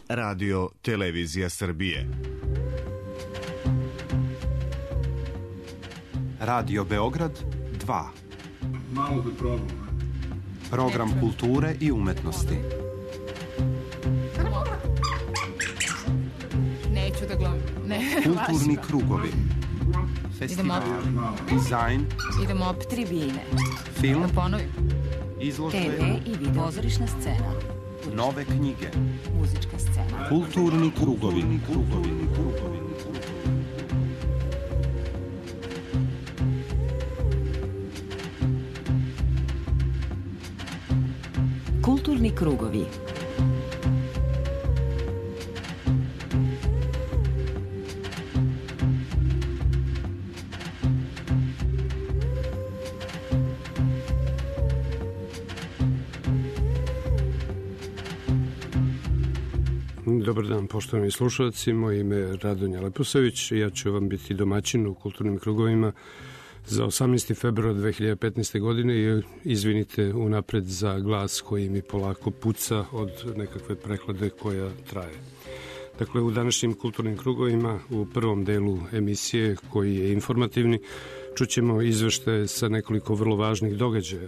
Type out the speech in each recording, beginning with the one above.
Radio Televizija Srbije. Radio Beograd 2. Malo da probam. Program kulture i umetnosti. Neću da glumim. Kulturni krugovi. Festival. Dizajn. Idemo op tribine. Film. Da ponovim. Izložbe. TV i video. Pozorišna scena. Nove knjige. Muzička scena. Kulturni krugovi. Kulturni krugovi. Dobar dan, poštovani slušalci, moje ime je Radonja Leposavić i ja ću vam biti domaćin u kulturnim krugovima za 18. februar 2015. godine i izvinite unapred za glas koji mi polako puca od nekakve prehlade koja traje. Dakle, u današnjim kulturnim krugovima, u prvom delu emisije koji je informativni, čućemo izveštaje sa nekoliko vrlo važnih događaja.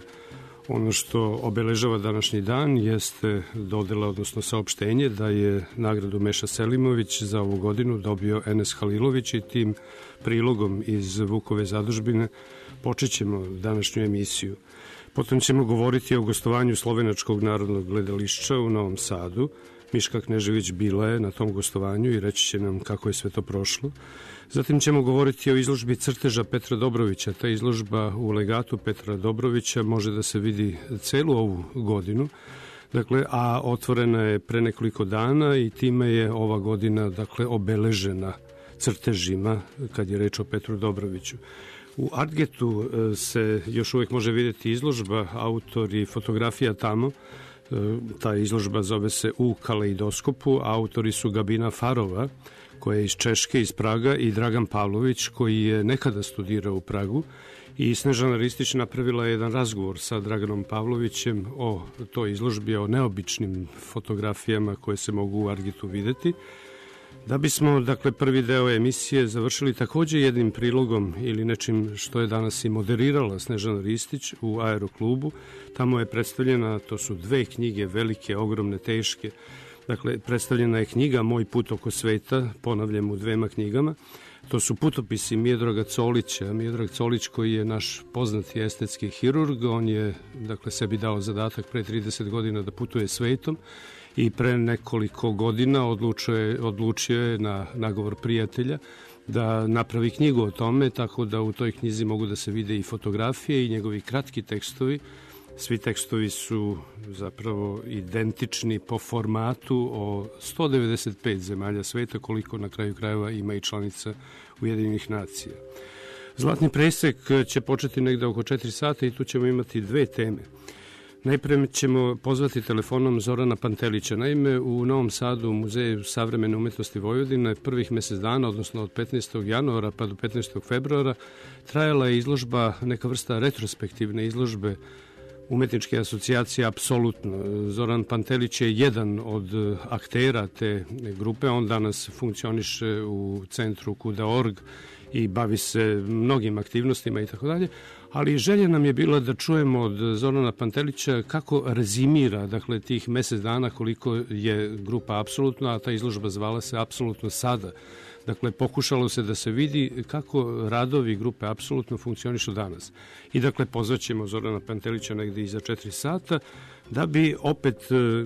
Ono što obeležava današnji dan jeste dodela, odnosno saopštenje da je nagradu Meša Selimović za ovu godinu dobio Enes Halilović i tim prilogom iz Vukove zadužbine počet ćemo današnju emisiju. Potom ćemo govoriti o gostovanju Slovenačkog narodnog gledališća u Novom Sadu. Miška Knežević bila je na tom gostovanju i reći će nam kako je sve to prošlo. Zatim ćemo govoriti o izložbi crteža Petra Dobrovića. Ta izložba u legatu Petra Dobrovića može da se vidi celu ovu godinu, dakle, a otvorena je pre nekoliko dana i time je ova godina, dakle, obeležena crtežima kad je reč o Petru Dobroviću. U Artgetu se još uvek može vidjeti izložba, autor i fotografija tamo. Ta izložba zove se U kaleidoskopu, a autori su Gabina Farova, koja je iz Češke, iz Praga, i Dragan Pavlović, koji je nekada studirao u Pragu, i Snežana Ristić napravila jedan razgovor sa Draganom Pavlovićem o toj izložbi, o neobičnim fotografijama koje se mogu u Argetu videti. Da bismo, dakle, prvi deo emisije završili takođe jednim prilogom ili nečim što je danas i moderirala Snežana Ristić u Aeroklubu. Tamo je predstavljena, to su dve knjige, velike, ogromne, teške. Dakle, predstavljena je knjiga Moj put oko sveta, ponavljam u dvema knjigama. To su putopisi Miodraga Colića. Miodrag Colić, koji je naš poznati estetski hirurg, on je, dakle, sebi dao zadatak pre 30 godina da putuje svetom i pre nekoliko godina odlučio je na nagovor prijatelja da napravi knjigu o tome, tako da u toj knjizi mogu da se vide i fotografije i njegovi kratki tekstovi. Svi tekstovi su zapravo identični po formatu o 195 zemalja sveta, koliko na kraju krajeva ima i članica Ujedinjenih nacija. Zlatni presek će početi negde oko 4 sata i tu ćemo imati dve teme. Najpre ćemo pozvati telefonom Zorana Pantelića. Naime, u Novom Sadu, u Muzeju savremene umetnosti Vojvodine, prvih mesec dana, odnosno od 15. januara pa do 15. februara, trajala je izložba, neka vrsta retrospektivne izložbe umetničke asocijacije Apsolutno. Zoran Pantelić je jedan od aktera te grupe, on danas funkcioniše u centru Kuda.org i bavi se mnogim aktivnostima i tako dalje, ali želja nam je bila da čujemo od Zorana Pantelića kako rezimira, dakle, tih mesec dana koliko je grupa Apsolutno, a ta izložba zvala se Apsolutno sada. Dakle, pokušalo se da se vidi kako radovi grupe Apsolutno funkcionišu danas. I dakle, pozvaćemo Zorana Pantelića negde iza 4 sata, da bi opet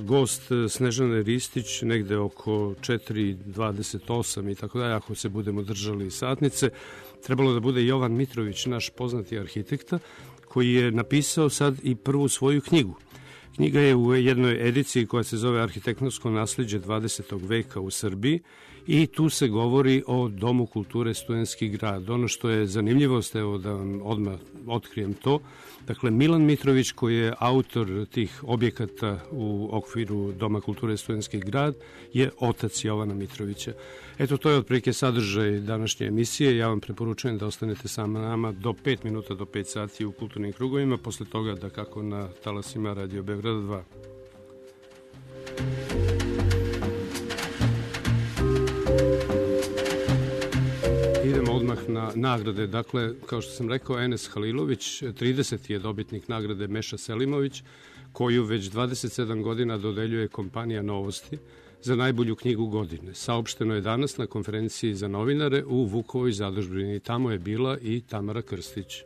gost Snežane Ristić negde oko 4:28 i tako dalje, ako se budemo držali satnice, trebalo da bude Jovan Mitrović, naš poznati arhitekta, koji je napisao sad i prvu svoju knjigu. Knjiga je u jednoj ediciji koja se zove Arhitektonsko nasleđe 20. veka u Srbiji i tu se govori o Domu kulture Studentski grad. Ono što je zanimljivost, evo da vam odmah otkrijem to, dakle, Milan Mitrović, koji je autor tih objekata u okviru Doma kulture Studentski grad, je otac Jovana Mitrovića. Eto, to je otprilike sadržaj današnje emisije. Ja vam preporučujem da ostanete sa nama do 5 minuta do 5 sati u kulturnim krugovima, posle toga da kako na talasima Radio Beograd 2. nagrade. Dakle, kao što sam rekao, Enes Halilović, 30. je dobitnik nagrade Meša Selimović, koju već 27 godina dodeljuje kompanija Novosti za najbolju knjigu godine. Saopšteno je danas na konferenciji za novinare u Vukovoj zadužbini. Tamo je bila i Tamara Krstić.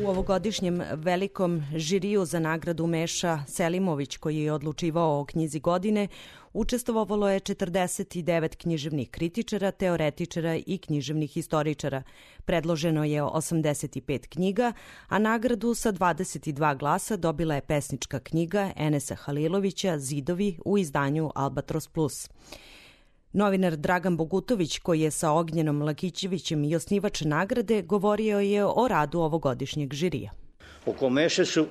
U ovogodišnjem velikom žiriju za nagradu Meša Selimović, koji je odlučivao o knjizi godine, učestvovalo je 49 književnih kritičara, teoretičara i književnih istoričara. Predloženo je 85 knjiga, a nagradu sa 22 glasa dobila je pesnička knjiga Enesa Halilovića Zidovi u izdanju Albatros Plus. Novinar Dragan Bogutović, koji je sa Ognjenom Lakićevićem i osnivač nagrade, govorio je o radu ovogodišnjeg žirija. Oko Meše su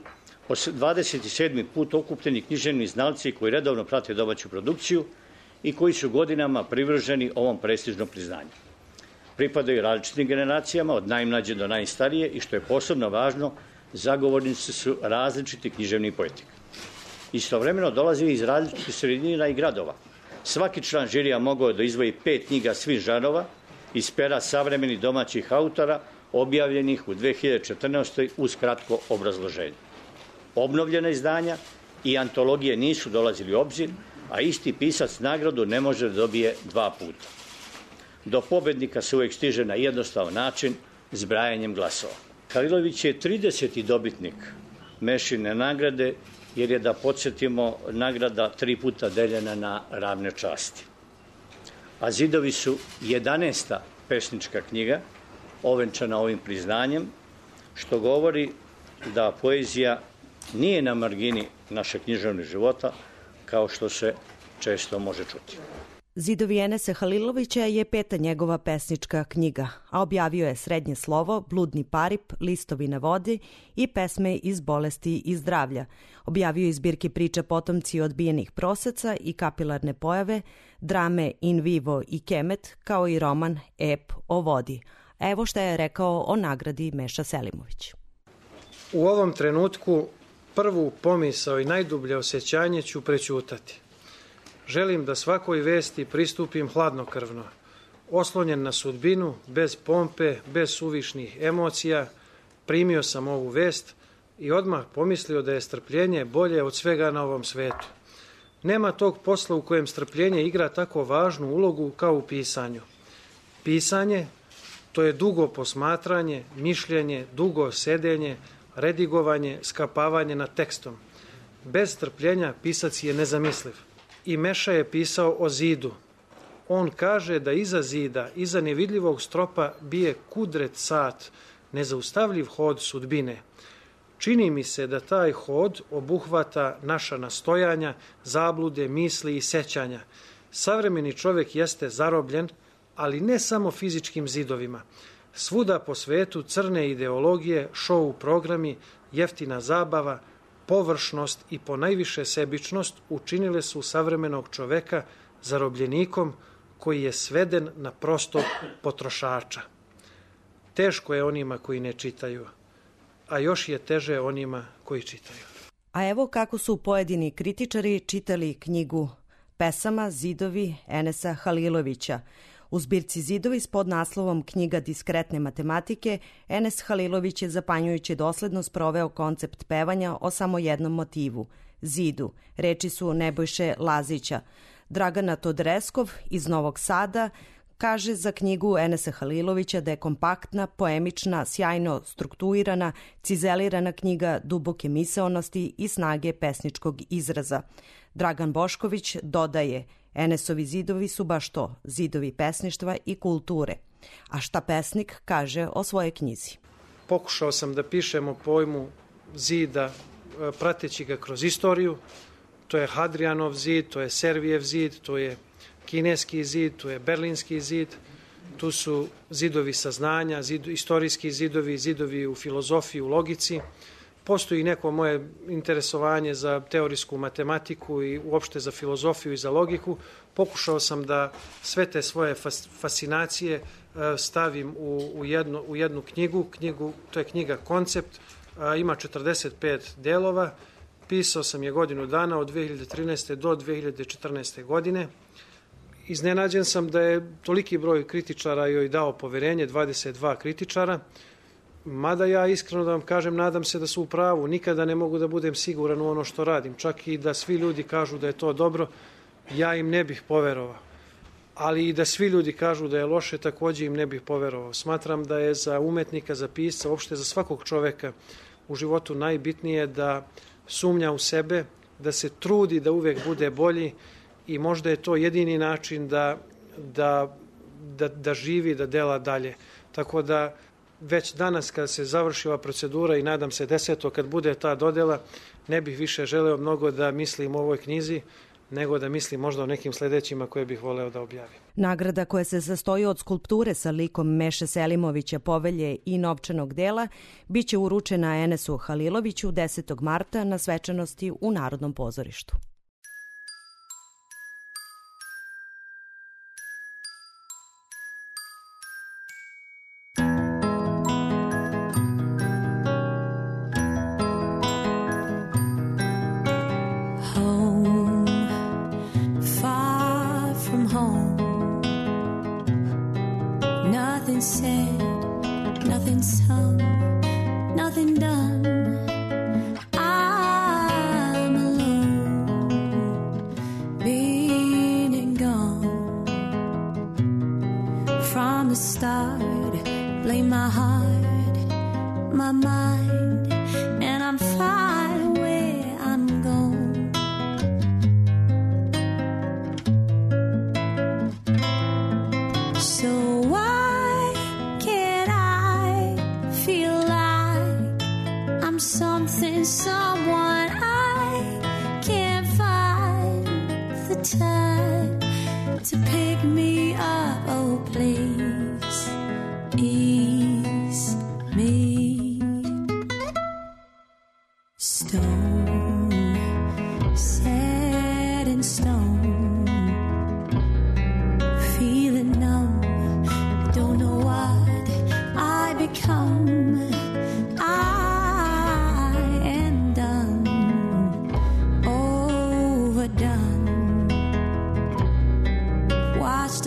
27. put okupljeni književni znalci koji redovno prate domaću produkciju i koji su godinama privrženi ovom prestižnom priznanju. Pripadaju različitim generacijama, od najmlađe do najstarije, i što je posebno važno, zagovornici su različiti književni poetika. Istovremeno dolaze iz različitih sredina i gradova. Svaki član žirija mogao da izdvoji 5 knjiga svih žanrova iz pera savremenih domaćih autora objavljenih u 2014. uz kratko obrazloženje. Obnovljena izdanja i antologije nisu dolazili u obzir, a isti pisac nagradu ne može da dobije 2 puta. Do pobednika se uvek stiže na jednostavan način, zbrajanjem glasova. Halilović je 30. dobitnik Mešine nagrade, jer je, da podsjetimo, nagrada 3 puta deljena na ravne časti. A Zidovi su 11. pesnička knjiga, ovenčana ovim priznanjem, što govori da poezija nije na margini našeg književnog života, kao što se često može čuti. Zidovi Enesa Halilovića je 5. njegova pesnička knjiga, a objavio je Srednje slovo, Bludni parip, Listovi na vodi i pesme iz bolesti i zdravlja. Objavio je zbirke priča Potomci odbijenih proseca i Kapilarne pojave, drame In vivo i Kemet, kao i roman Ep o vodi. Evo šta je rekao o nagradi Meša Selimović. U ovom trenutku prvu pomisao i najdublje osjećanje ću prećutati. Želim da svakoj vesti pristupim hladnokrvno, oslonjen na sudbinu, bez pompe, bez suvišnih emocija. Primio sam ovu vest i odmah pomislio da je strpljenje bolje od svega na ovom svetu. Nema tog posla u kojem strpljenje igra tako važnu ulogu kao u pisanju. Pisanje, to je dugo posmatranje, mišljenje, dugo sedenje, redigovanje, skapavanje nad tekstom. Bez strpljenja pisac je nezamisliv. I Meša je pisao o zidu. On kaže da iza zida, iza nevidljivog stropa bije kudret sat, nezaustavljiv hod sudbine. Čini mi se da taj hod obuhvata naša nastojanja, zablude, misli i sećanja. Savremeni čovjek jeste zarobljen, ali ne samo fizičkim zidovima. Svuda po svetu crne ideologije, šou programi, jeftina zabava, površnost i ponajviše sebičnost učinile su savremenog čoveka zarobljenikom koji je sveden na prostog potrošača. Teško je onima koji ne čitaju, a još je teže onima koji čitaju. A evo kako su pojedini kritičari čitali knjigu pesama Zidovi Enesa Halilovića. U zbirci Zidovi s podnaslovom Knjiga diskretne matematike, Enes Halilović je zapanjujuće dosledno sproveo koncept pevanja o samo jednom motivu, zidu. Reči su Nebojše Lazića. Dragana Todreskov iz Novog Sada kaže za knjigu Enesa Halilovića da je kompaktna, poemična, sjajno strukturirana, cizelirana knjiga duboke misaonosti i snage pesničkog izraza. Dragan Bošković dodaje: Enesovi zidovi su baš to, zidovi pesništva i kulture. A šta pesnik kaže o svojoj knjizi? Pokušao sam da pišem o pojmu zida prateći ga kroz istoriju. To je Hadrianov zid, to je Servijev zid, to je kineski zid, to je berlinski zid. Tu su zidovi saznanja, istorijski zidovi, zidovi u filozofiji, u logici. Postoji neko moje interesovanje za teorijsku matematiku i uopšte za filozofiju i za logiku. Pokušao sam da sve te svoje fascinacije stavim u jednu knjigu. To je knjiga Koncept, ima 45 delova. Pisao sam je godinu dana od 2013. do 2014. godine Iznenađen sam da je toliki broj kritičara joj dao poverenje, 22 kritičara, mada ja iskreno da vam kažem, nadam se da su u pravu. Nikada ne mogu da budem siguran u ono što radim. Čak i da svi ljudi kažu da je to dobro, ja im ne bih poverovao. Ali i da svi ljudi kažu da je loše, takođe im ne bih poverovao. Smatram da je za umetnika, za pisca, uopšte za svakog čoveka u životu najbitnije da sumnja u sebe, da se trudi da uvek bude bolji i možda je to jedini način da živi, da dela dalje. Tako da već danas kada se završi ova procedura i nadam se 10. kad bude ta dodela, ne bih više želeo mnogo da mislim o ovoj knjizi, nego da mislim možda o nekim sledećima koje bih voleo da objavim. Nagrada koja se sastoji od skulpture sa likom Meše Selimovića, Povelje i novčanog dela biće uručena Enesu Haliloviću 10. marta na svečanosti u Narodnom pozorištu. Nothing said, nothing sung, nothing done. I'm alone, been and gone. From the start, blame my heart, my mind, and I'm fine where I'm gone. So something, someone I can't find the time to pick me up. Oh, please ease me. Stone, set in stone, feeling numb, don't know what I become.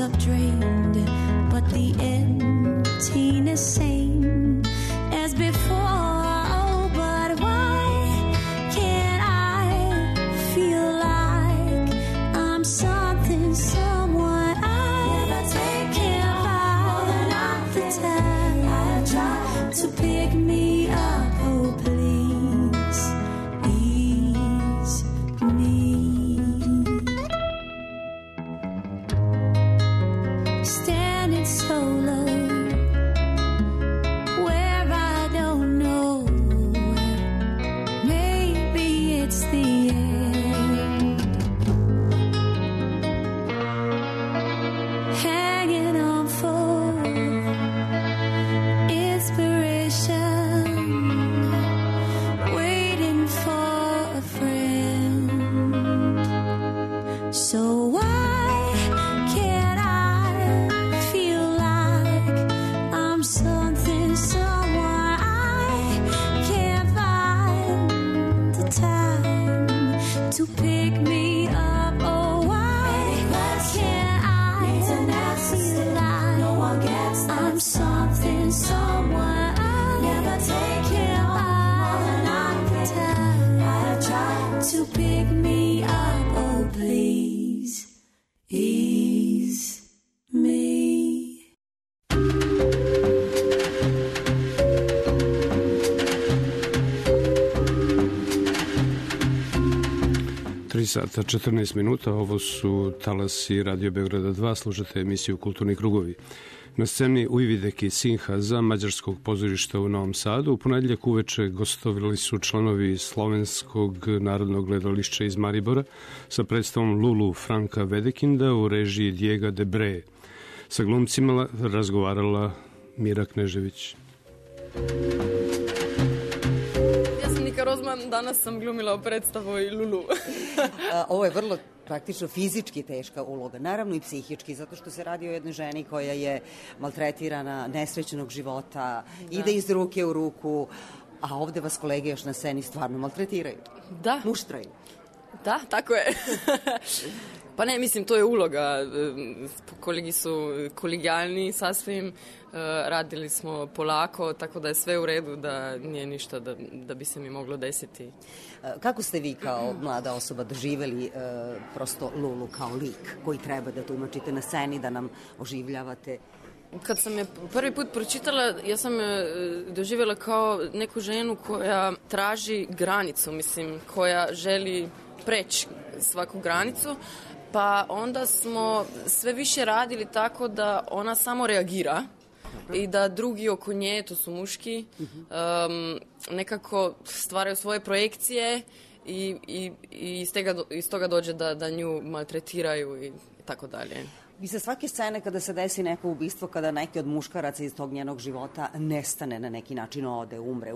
Up drained, but the emptiness same as before. Oh, but why can't I feel like I'm something, someone I never take care of? Not the time I try to pick me up. Oh, please ease me. Standing solo, where I don't know, maybe it's the end. Hanging on for inspiration, waiting for a friend. So why can't I feel like I'm something, someone I can't find the time to pick me up? Oh, why can't I feel like no one gets that I'm something, someone I never take care of? The time I try to pick me up. Oh, please ease me. 3 sata 14 minuta, ovo su talasi Radio Beograda 2, slušate emisiju Kulturni krugovi. Na sceni Ujvideki Sinhaza, mađarskog pozorišta u Novom Sadu, u ponedjeljak uveče gostovali su članovi Slovenskog narodnog gledališća iz Maribora sa predstavom Lulu Franka Vedekinda u režiji Diega de Bre. Sa glumcima razgovarala Mira Knežević. Rozman, danas sam glumila u predstavu i Lulu. Ovo je vrlo praktično fizički teška uloga, naravno i psihički, zato što se radi o jednoj ženi koja je maltretirana, nesrećenog života, ide iz ruke u ruku, a ovde vas kolege još na sceni stvarno maltretiraju. Da. Muštraju. Da, tako je. Pa ne, mislim, to je uloga. Kolegi su kolegijalni sasvim, radili smo polako, tako da je sve u redu, da nije ništa da bi se mi moglo desiti. Kako ste vi kao mlada osoba doživeli prosto Lulu kao lik koji treba da tumačite na sceni, da nam oživljavate? Kad sam je prvi put pročitala, ja sam je doživjela kao neku ženu koja traži granicu, mislim, koja želi preći svaku granicu, pa onda smo sve više radili tako da ona samo reagira i da drugi oko nje, to su muški, nekako stvaraju svoje projekcije i iz toga dođe da nju maltretiraju i tako dalje. Vi sa svake scene kada se desi neko ubistvo, kada neki od muškaraca iz tog njenog života nestane na neki način, ode, umre,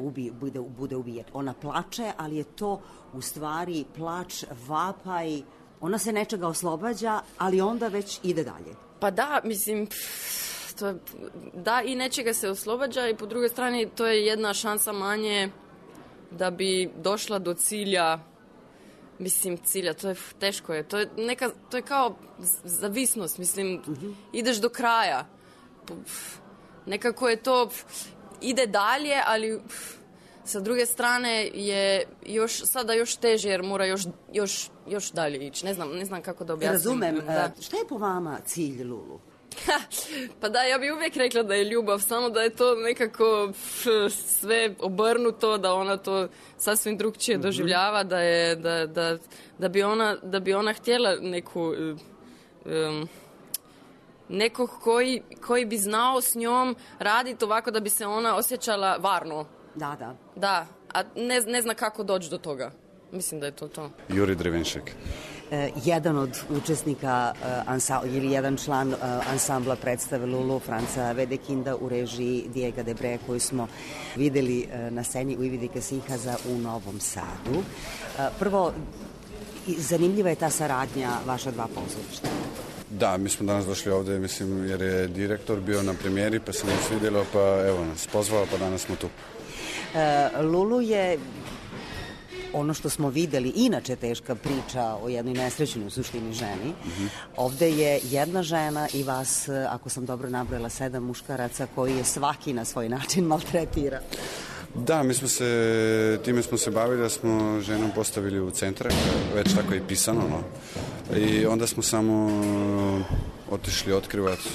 bude ubijen. Ona plače, ali je to u stvari plač, vapaj, ona se nečega oslobađa, ali onda već ide dalje. Pa da, mislim, da i nečega se oslobađa i po drugoj strani to je jedna šansa manje da bi došla do cilja. Mislim, cilja, to je teško je. To je kao zavisnost, mislim, ideš do kraja. Nekako je to, ide dalje, ali sa druge strane je sada još teže, jer mora još dalje ići. Ne znam kako da objasnim. Razumem. Šta je po vama cilj Lulu? Pa da, ja bih uvijek rekla da je ljubav, samo da je to nekako obrnuto, da ona to sasvim drugčije doživljava, da bi ona htjela nekog koji bi znao s njom raditi ovako da bi se ona osjećala varno. Da. Da, a ne zna kako doći do toga. Mislim da je to. Juri Drevenšek. Jedan od učesnika ili jedan član ansambla predstave Lulu, Franca Wedekinda u režiji Diego Debre, koju smo videli na sceni u Ividi Kasihaza u Novom Sadu. Prvo, zanimljiva je ta saradnja vaša dva pozorišta. Da, mi smo danas došli ovde, mislim, jer je direktor bio na premijeri, pa se nam svidjelo, pa evo nas pozvao, pa danas smo tu. Lulu je ono što smo videli, inače teška priča o jednoj nesrećnoj u suštini ženi. Ovde je jedna žena i vas, ako sam dobro nabrojala, 7 muškaraca koji je svaki na svoj način maltretira. Da, time smo se bavili, da smo ženom postavili u centre, već tako je pisano, no. I onda smo samo otišli otkrivati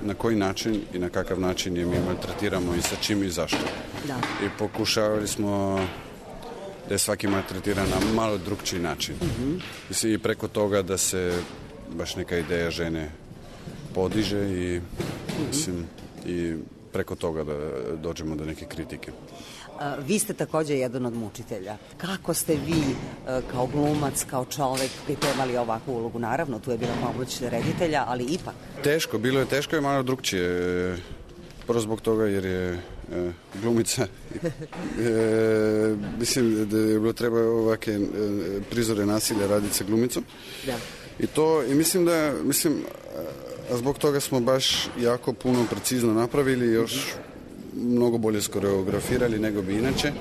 na koji način i na kakav način je mi maltretiramo i sa čim i zašto. Da. I pokušavali smo da je svaki maltretiran na malo drugčiji način. I preko toga da se baš neka ideja žene podiže i, i preko toga da dođemo do neke kritike. Vi ste također jedan od mučitelja. Kako ste vi kao glumac, kao čovek pripremali ovakvu ulogu? Naravno, tu je bila pomoć reditelja, ali ipak. Bilo je teško i malo drugčije. Prvo zbog toga jer je glumica. Mislim da je bilo treba ovake prizore nasilja raditi sa glumicom. Da. I mislim a zbog toga smo baš jako puno precizno napravili, još mnogo bolje skoreografirali nego bi inače.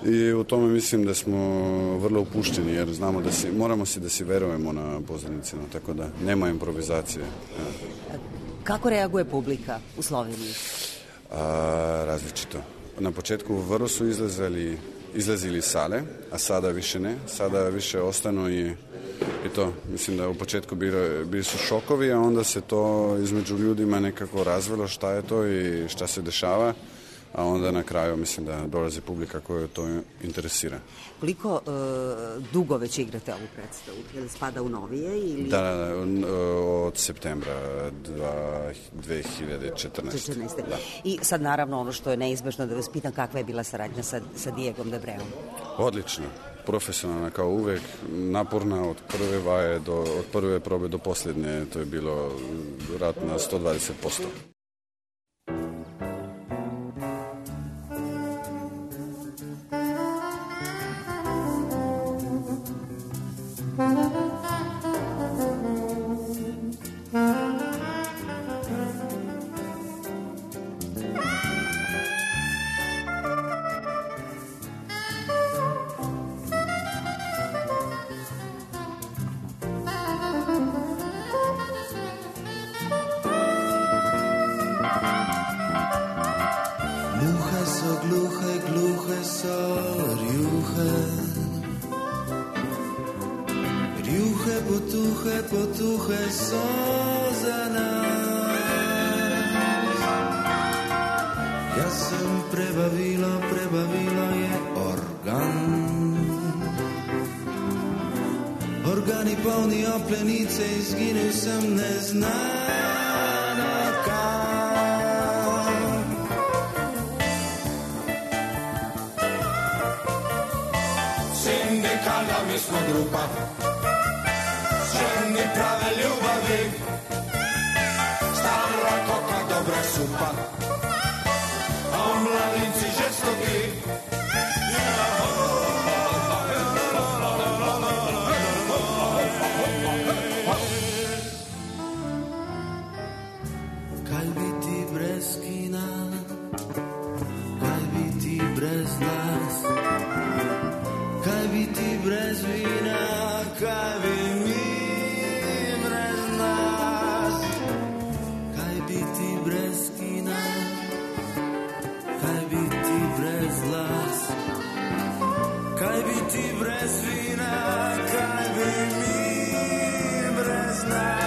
I u tome mislim da smo vrlo upušteni, jer znamo moramo da si verujemo na pozornicima, tako da nema improvizacije. Kako reaguje publika u Sloveniji? Različito. Na početku vrlo su izlazili sale, a sada više ne. Sada više ostanu i to. Mislim da u početku bili su šokovi, a onda se to između ljudima nekako razvelo šta je to i šta se dešava, a onda na kraju mislim da dolazi publika koja to interesira. Koliko dugo već igrate ovu predstavu? Ili spada u novije? Ili... Da, od septembra 2014. Da. I sad naravno ono što je neizbežno da vas pitam, kakva je bila saradnja sa Diegom Debreom? Odlično. Profesionalna kao uvek, naporna od prve vaje od prve probe do posljednje, to je bilo rad na 120%. potuhe za nas. Ja sam prebavila je organ. Organi polni oplenice, izginil sem neznano kam. Sindikalna mi smo grupa, ženi prave ljubavi, stara koka, dobra supa, a mladinci žestoki. Kaj bi ti brez kina, kaj bi ti brez nas, kaj bi ti brez vina, kaj bi mi brez nas. Kaj bi ti brez kina, kaj bi ti brez las, kaj bi ti brez vina, kaj bi mi brez nas.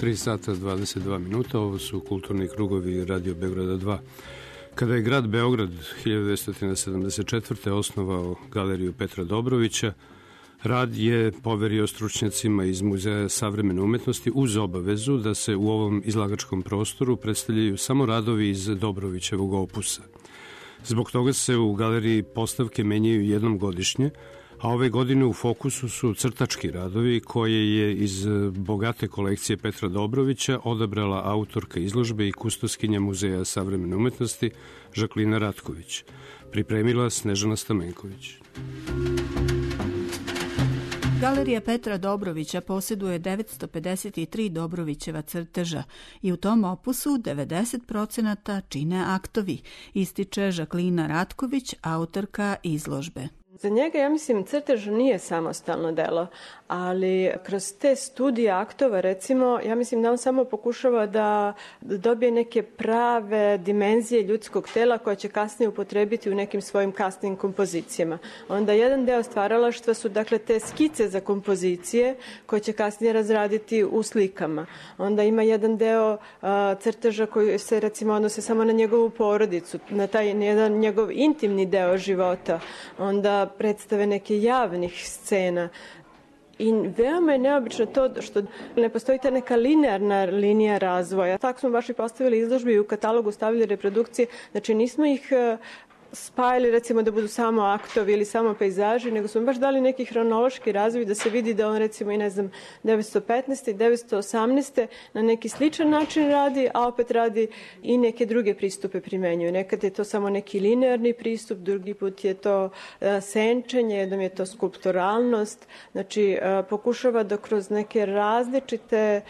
3 sata 22 minuta, ovo su kulturni krugovi Radio Beograda 2. Kada je grad Beograd 1974. osnovao galeriju Petra Dobrovića, rad je poverio stručnjacima iz Muzeja savremene umetnosti uz obavezu da se u ovom izlagačkom prostoru predstavljaju samo radovi iz Dobrovićevog opusa. Zbog toga se u galeriji postavke menjaju jednom godišnje, a ove godine u fokusu su crtački radovi koje je iz bogate kolekcije Petra Dobrovića odabrala autorka izložbe i kustoskinja Muzeja savremene umetnosti Žaklina Ratković. Pripremila Snežana Stamenković. Galerija Petra Dobrovića posjeduje 953 Dobrovićeva crteža i u tom opusu 90% čine aktovi, ističe Žaklina Ratković, autorka izložbe. Za njega, ja mislim, crtež nije samostalno delo, ali kroz te studije aktova, recimo, ja mislim da on samo pokušava da dobije neke prave dimenzije ljudskog tela koje će kasnije upotrebiti u nekim svojim kasnim kompozicijama. Onda jedan deo stvaralaštva su, dakle, te skice za kompozicije koje će kasnije razraditi u slikama. Onda ima jedan deo crteža koji se, recimo, odnose samo na njegovu porodicu, na taj jedan njegov intimni deo života. Onda predstave neke javnih scena. I veoma je neobično to što ne postoji ta neka linearna linija razvoja. Tako smo baš i postavili izložbe i u katalogu stavili reprodukcije. Znači nismo ih spajali, recimo, da budu samo aktovi ili samo pejzaži, nego smo baš dali neki hronološki razvoj da se vidi da on, recimo, i 915. i 918. na neki sličan način radi, a opet radi i neke druge pristupe primenjuju. Nekad je to samo neki linearni pristup, drugi put je to senčenje, jednom je to skulpturalnost. Znači, pokušava da kroz neke različite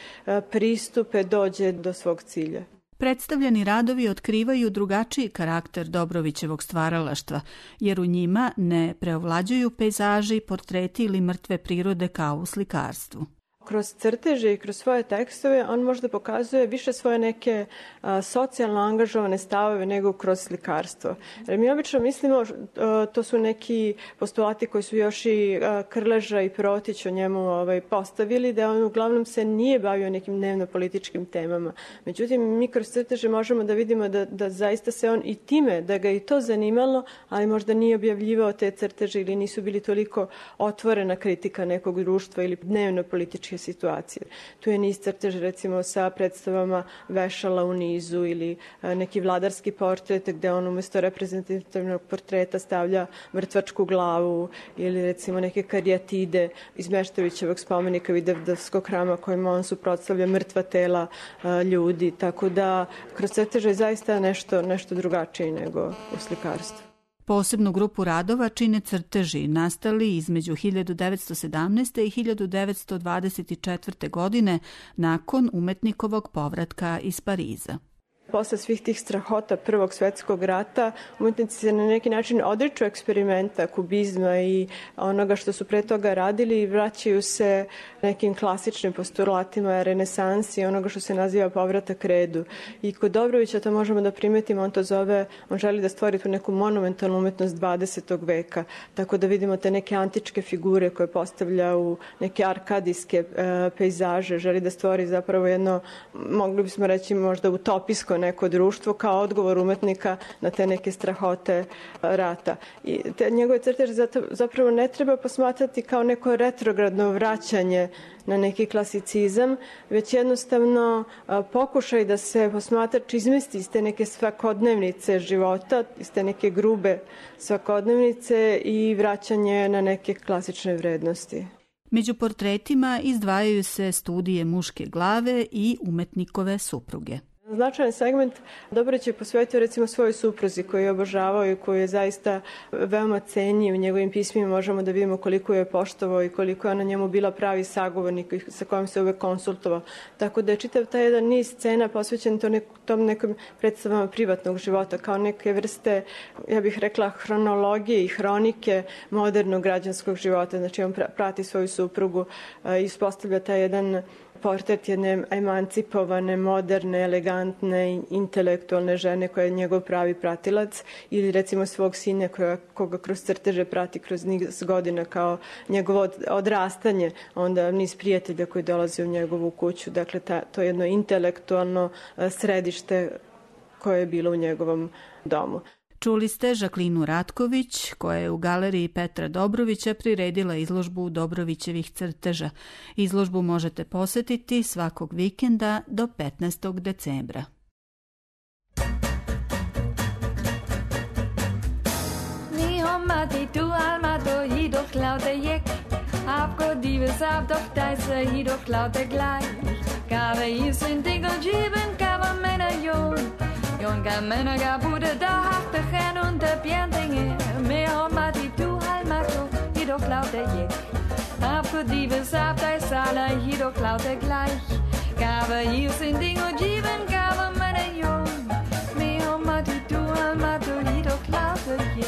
pristupe dođe do svog cilja. Predstavljeni radovi otkrivaju drugačiji karakter Dobrovićevog stvaralaštva, jer u njima ne preovlađuju pejzaži, portreti ili mrtve prirode kao u slikarstvu. Kroz crteže i kroz svoje tekstove on možda pokazuje više svoje neke socijalno angažovane stavove nego kroz slikarstvo. Jer mi obično mislimo, to su neki postulati koji su još i Krleža i Protić o njemu postavili, da on uglavnom se nije bavio nekim dnevno-političkim temama. Međutim, mi kroz crteže možemo da vidimo da zaista se on i time, da ga i to zanimalo, ali možda nije objavljivao te crteže ili nisu bili toliko otvorena kritika nekog društva ili dnevno-političkih drugačije situacije. Tu je niz crtež recimo sa predstavama vešala u nizu ili neki vladarski portret gde on umesto reprezentativnog portreta stavlja mrtvačku glavu ili recimo neke karijatide iz Meštrovićevog spomenika Vidovdanskog hrama kojima on suprotstavlja mrtva tela ljudi, tako da kroz crteže je zaista nešto drugačije nego u slikarstvu. Posebnu grupu radova čine crteži nastali između 1917. i 1924. godine nakon umetnikovog povratka iz Pariza. Posle svih tih strahota Prvog svetskog rata, umetnici se na neki način odriču eksperimenta, kubizma i onoga što su pre toga radili i vraćaju se nekim klasičnim postulatima renesansi, onoga što se naziva povratak redu. I kod Dobrovića to možemo da primetimo, on želi da stvori tu neku monumentalnu umetnost 20. veka, tako da vidimo te neke antičke figure koje postavlja u neke arkadijske pejzaže, želi da stvori zapravo jedno, mogli bismo reći možda utopijsko neko društvo kao odgovor umetnika na te neke strahote rata. I te njegove crteže zapravo ne treba posmatrati kao neko retrogradno vraćanje na neki klasicizam, već jednostavno pokušaj da se posmatrač izmesti iz te neke svakodnevnice života, iz te neke grube svakodnevnice i vraćanje na neke klasične vrednosti. Među portretima izdvajaju se studije muške glave i umetnikove supruge. Značajan segment Dobrović je posvetio recimo svojoj supruzi koju je obožavao i koju je zaista veoma cenio. U njegovim pismima možemo da vidimo koliko je poštovao i koliko je ona njemu bila pravi sagovornik sa kojim se uvek konsultovao. Tako da je čitav taj jedan niz scena posvećen tom nekom predstavama privatnog života kao neke vrste, ja bih rekla, hronologije i hronike modernog građanskog života. Znači on prati svoju suprugu i uspostavlja taj jedan portret jedne emancipovane, moderne, elegantne, intelektualne žene koja je njegov pravi pratilac ili recimo svog sina koga kroz crteže prati kroz niz godina kao njegovo odrastanje, onda niz prijatelja koji dolaze u njegovu kuću. Dakle, to je jedno intelektualno središte koje je bilo u njegovom domu. Čuli ste Žaklinu Ratković, koja je u galeriji Petra Dobrovića priredila izložbu Dobrovićevih crteža. Izložbu možete posetiti svakog vikenda do 15. decembra. Junge Männer gar bude da harte hen und der Bierdinge mehr homma die du halmato hi doch laute je ab die besab dei sala hi doch laute gleich gabe hier sind Ding und Jiben gabe meine Jung mehr homma die du halmato hi doch laute je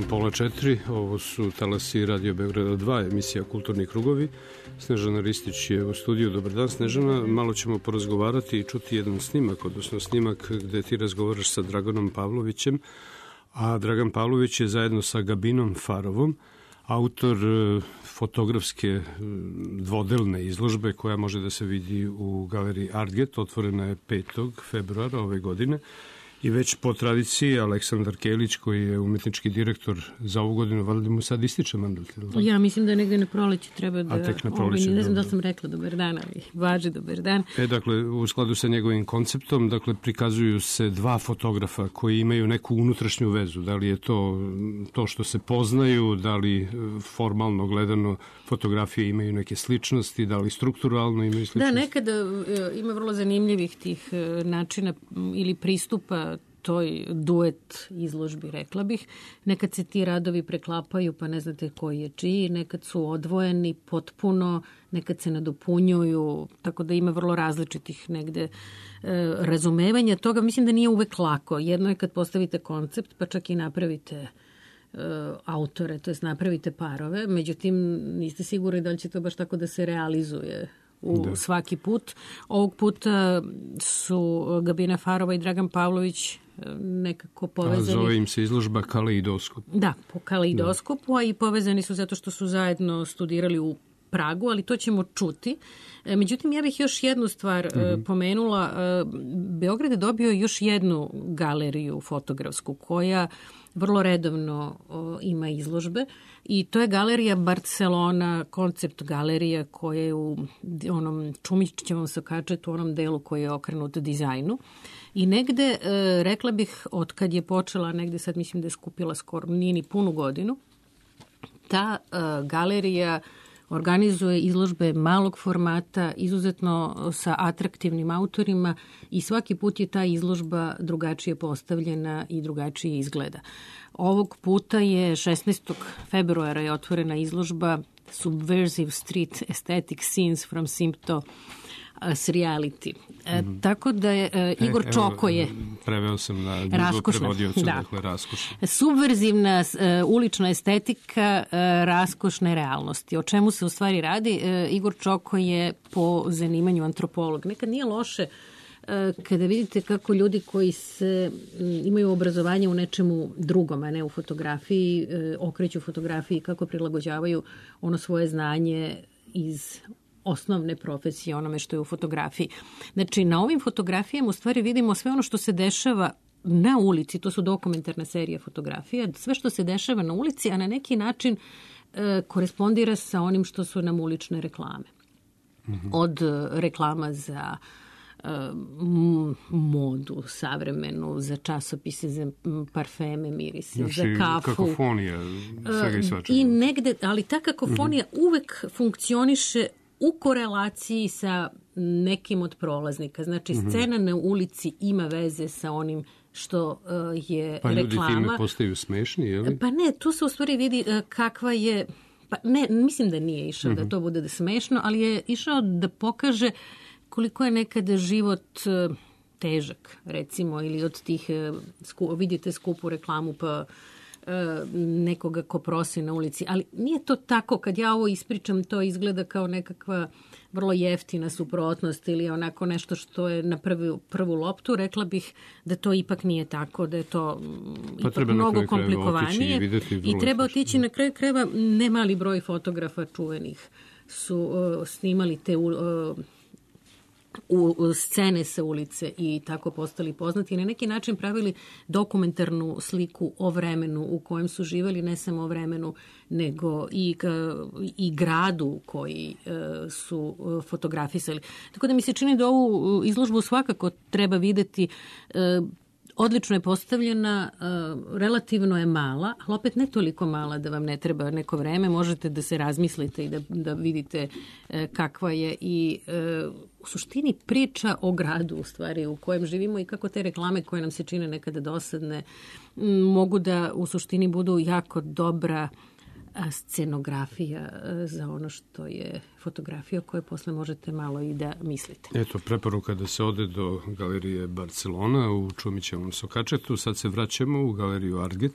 tačno 3:30. Ovo su talasi Radio Beograda 2, emisija Kulturni krugovi. Snežana Ristić je u studiju. Dobar dan, Snežana. Malo ćemo porazgovarati i čuti jedan snimak, odnosno snimak gde ti razgovaraš sa Draganom Pavlovićem, a Dragan Pavlović je zajedno sa Gabinom Farovom autor fotografske dvodelne izložbe koja može da se vidi u galeriji Artget. Otvorena je 5. februara ove godine. I već po tradiciji Aleksandar Kelić, koji je umetnički direktor za ovu godinu, valjda mu sad ističe mandat. Ja mislim da negde na proleće treba da... A tek na proleće. Ne znam da sam rekla dobar dan, ali važi dobar dan. Dakle, u skladu sa njegovim konceptom, dakle, prikazuju se dva fotografa koji imaju neku unutrašnju vezu. Da li je to što se poznaju, da li formalno gledano fotografije imaju neke sličnosti, da li strukturalno imaju sličnosti? Da, nekada ima vrlo zanimljivih tih načina ili pristupa toj duet izložbi, rekla bih. Nekad se ti radovi preklapaju, pa ne znate koji je čiji, nekad su odvojeni potpuno, nekad se nadopunjuju, tako da ima vrlo različitih negde razumevanja toga. Mislim da nije uvek lako. Jedno je kad postavite koncept, pa čak i napravite autore, to jest napravite parove, međutim niste sigurni da li će to baš tako da se realizuje svaki put. Ovog puta su Gabina Farova i Dragan Pavlović nekako povezani. Zove im se izložba Kaleidoskop. Da, po Kaleidoskopu, a i povezani su zato što su zajedno studirali u Pragu, ali to ćemo čuti. Međutim, ja bih još jednu stvar pomenula. Beograd je dobio još jednu galeriju fotografsku koja vrlo redovno ima izložbe i to je galerija Barcelona, koncept galerija koja je u onom Čumićevom sokačetu, u onom delu koji je okrenut dizajnu. I negde, rekla bih, od kad je počela, negde sad mislim da je skupila skoro, nije ni punu godinu, ta galerija organizuje izložbe malog formata, izuzetno sa atraktivnim autorima i svaki put je ta izložba drugačije postavljena i drugačije izgleda. Ovog puta je 16. februara je otvorena izložba Subversive Street Aesthetic Scenes from Sympto Reality. Tako da je Igor Čoko je... Preveo sam na Google prevodiocu, dakle raskošna. Subverzivna ulična estetika raskošne realnosti. O čemu se u stvari radi? Igor Čoko je po zanimanju antropolog. Nekad nije loše kada vidite kako ljudi koji imaju obrazovanje u nečemu drugom, a ne u fotografiji, okreću fotografiji, kako prilagođavaju ono svoje znanje iz osnovne profesije onome što je u fotografiji. Znači, na ovim fotografijama u stvari vidimo sve ono što se dešava na ulici, to su dokumentarna serija fotografija, sve što se dešava na ulici, a na neki način korespondira sa onim što su nam ulične reklame. Od reklama za modu savremenu, za časopise, za parfeme, mirise, za kafu. Kakofonija, svega i svačega. I negde, ali ta kakofonija uvek funkcioniše u korelaciji sa nekim od prolaznika. Znači, scena na ulici ima veze sa onim što je reklama. Pa ljudi time postaju smešni, je li? Pa ne, tu se u stvari vidi kakva je... Pa ne, mislim da nije išao da to bude smešno, ali je išao da pokaže koliko je nekada život težak, recimo, ili od tih, vidite skupu reklamu pa nekoga ko prosi na ulici, ali nije to tako. Kad ja ovo ispričam, to izgleda kao nekakva vrlo jeftina suprotnost ili onako nešto što je na prvu loptu. Rekla bih da to ipak nije tako, da je to ipak mnogo komplikovanije i treba otići na kraju krajeva. Ne mali broj fotografa čuvenih su snimali te u scene sa ulice i tako postali poznati i na neki način pravili dokumentarnu sliku o vremenu u kojem su živjeli, ne samo o vremenu, nego i gradu koji su fotografisali. Tako da mi se čini da ovu izložbu svakako treba videti. Odlično je postavljena, relativno je mala, ali opet ne toliko mala da vam ne treba neko vreme. Možete da se razmislite i da vidite kakva je i u suštini priča o gradu u stvari u kojem živimo i kako te reklame koje nam se čine nekada dosadne mogu da u suštini budu jako dobra scenografija za ono što je fotografija o kojoj posle možete malo i da mislite. Eto, preporuka da se ode do galerije Barcelona u Čumićevom sokačetu. Sad se vraćamo u galeriju Artget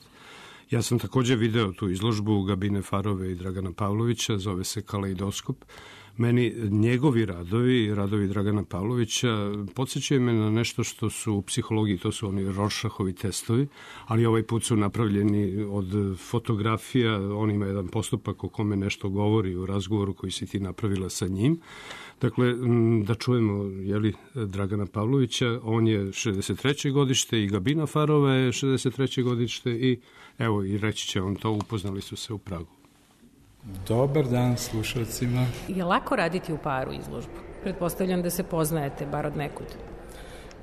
Ja sam takođe video tu izložbu Gabine Farove i Dragana Pavlovića, zove se Kaleidoskop. Meni njegovi radovi Dragana Pavlovića podsjećaju me na nešto što su u psihologiji, to su oni Rorschachovi testovi, ali ovaj put su napravljeni od fotografija, on ima jedan postupak o kome nešto govori u razgovoru koji si ti napravila sa njim. Dakle, da čujemo Dragana Pavlovića, on je 63. godište i Gabina Farova je 63. godište i evo i reći će on to, upoznali su se u Pragu. Dobar dan slušalcima. Je lako raditi u paru izložbu? Pretpostavljam da se poznajete, bar od nekud.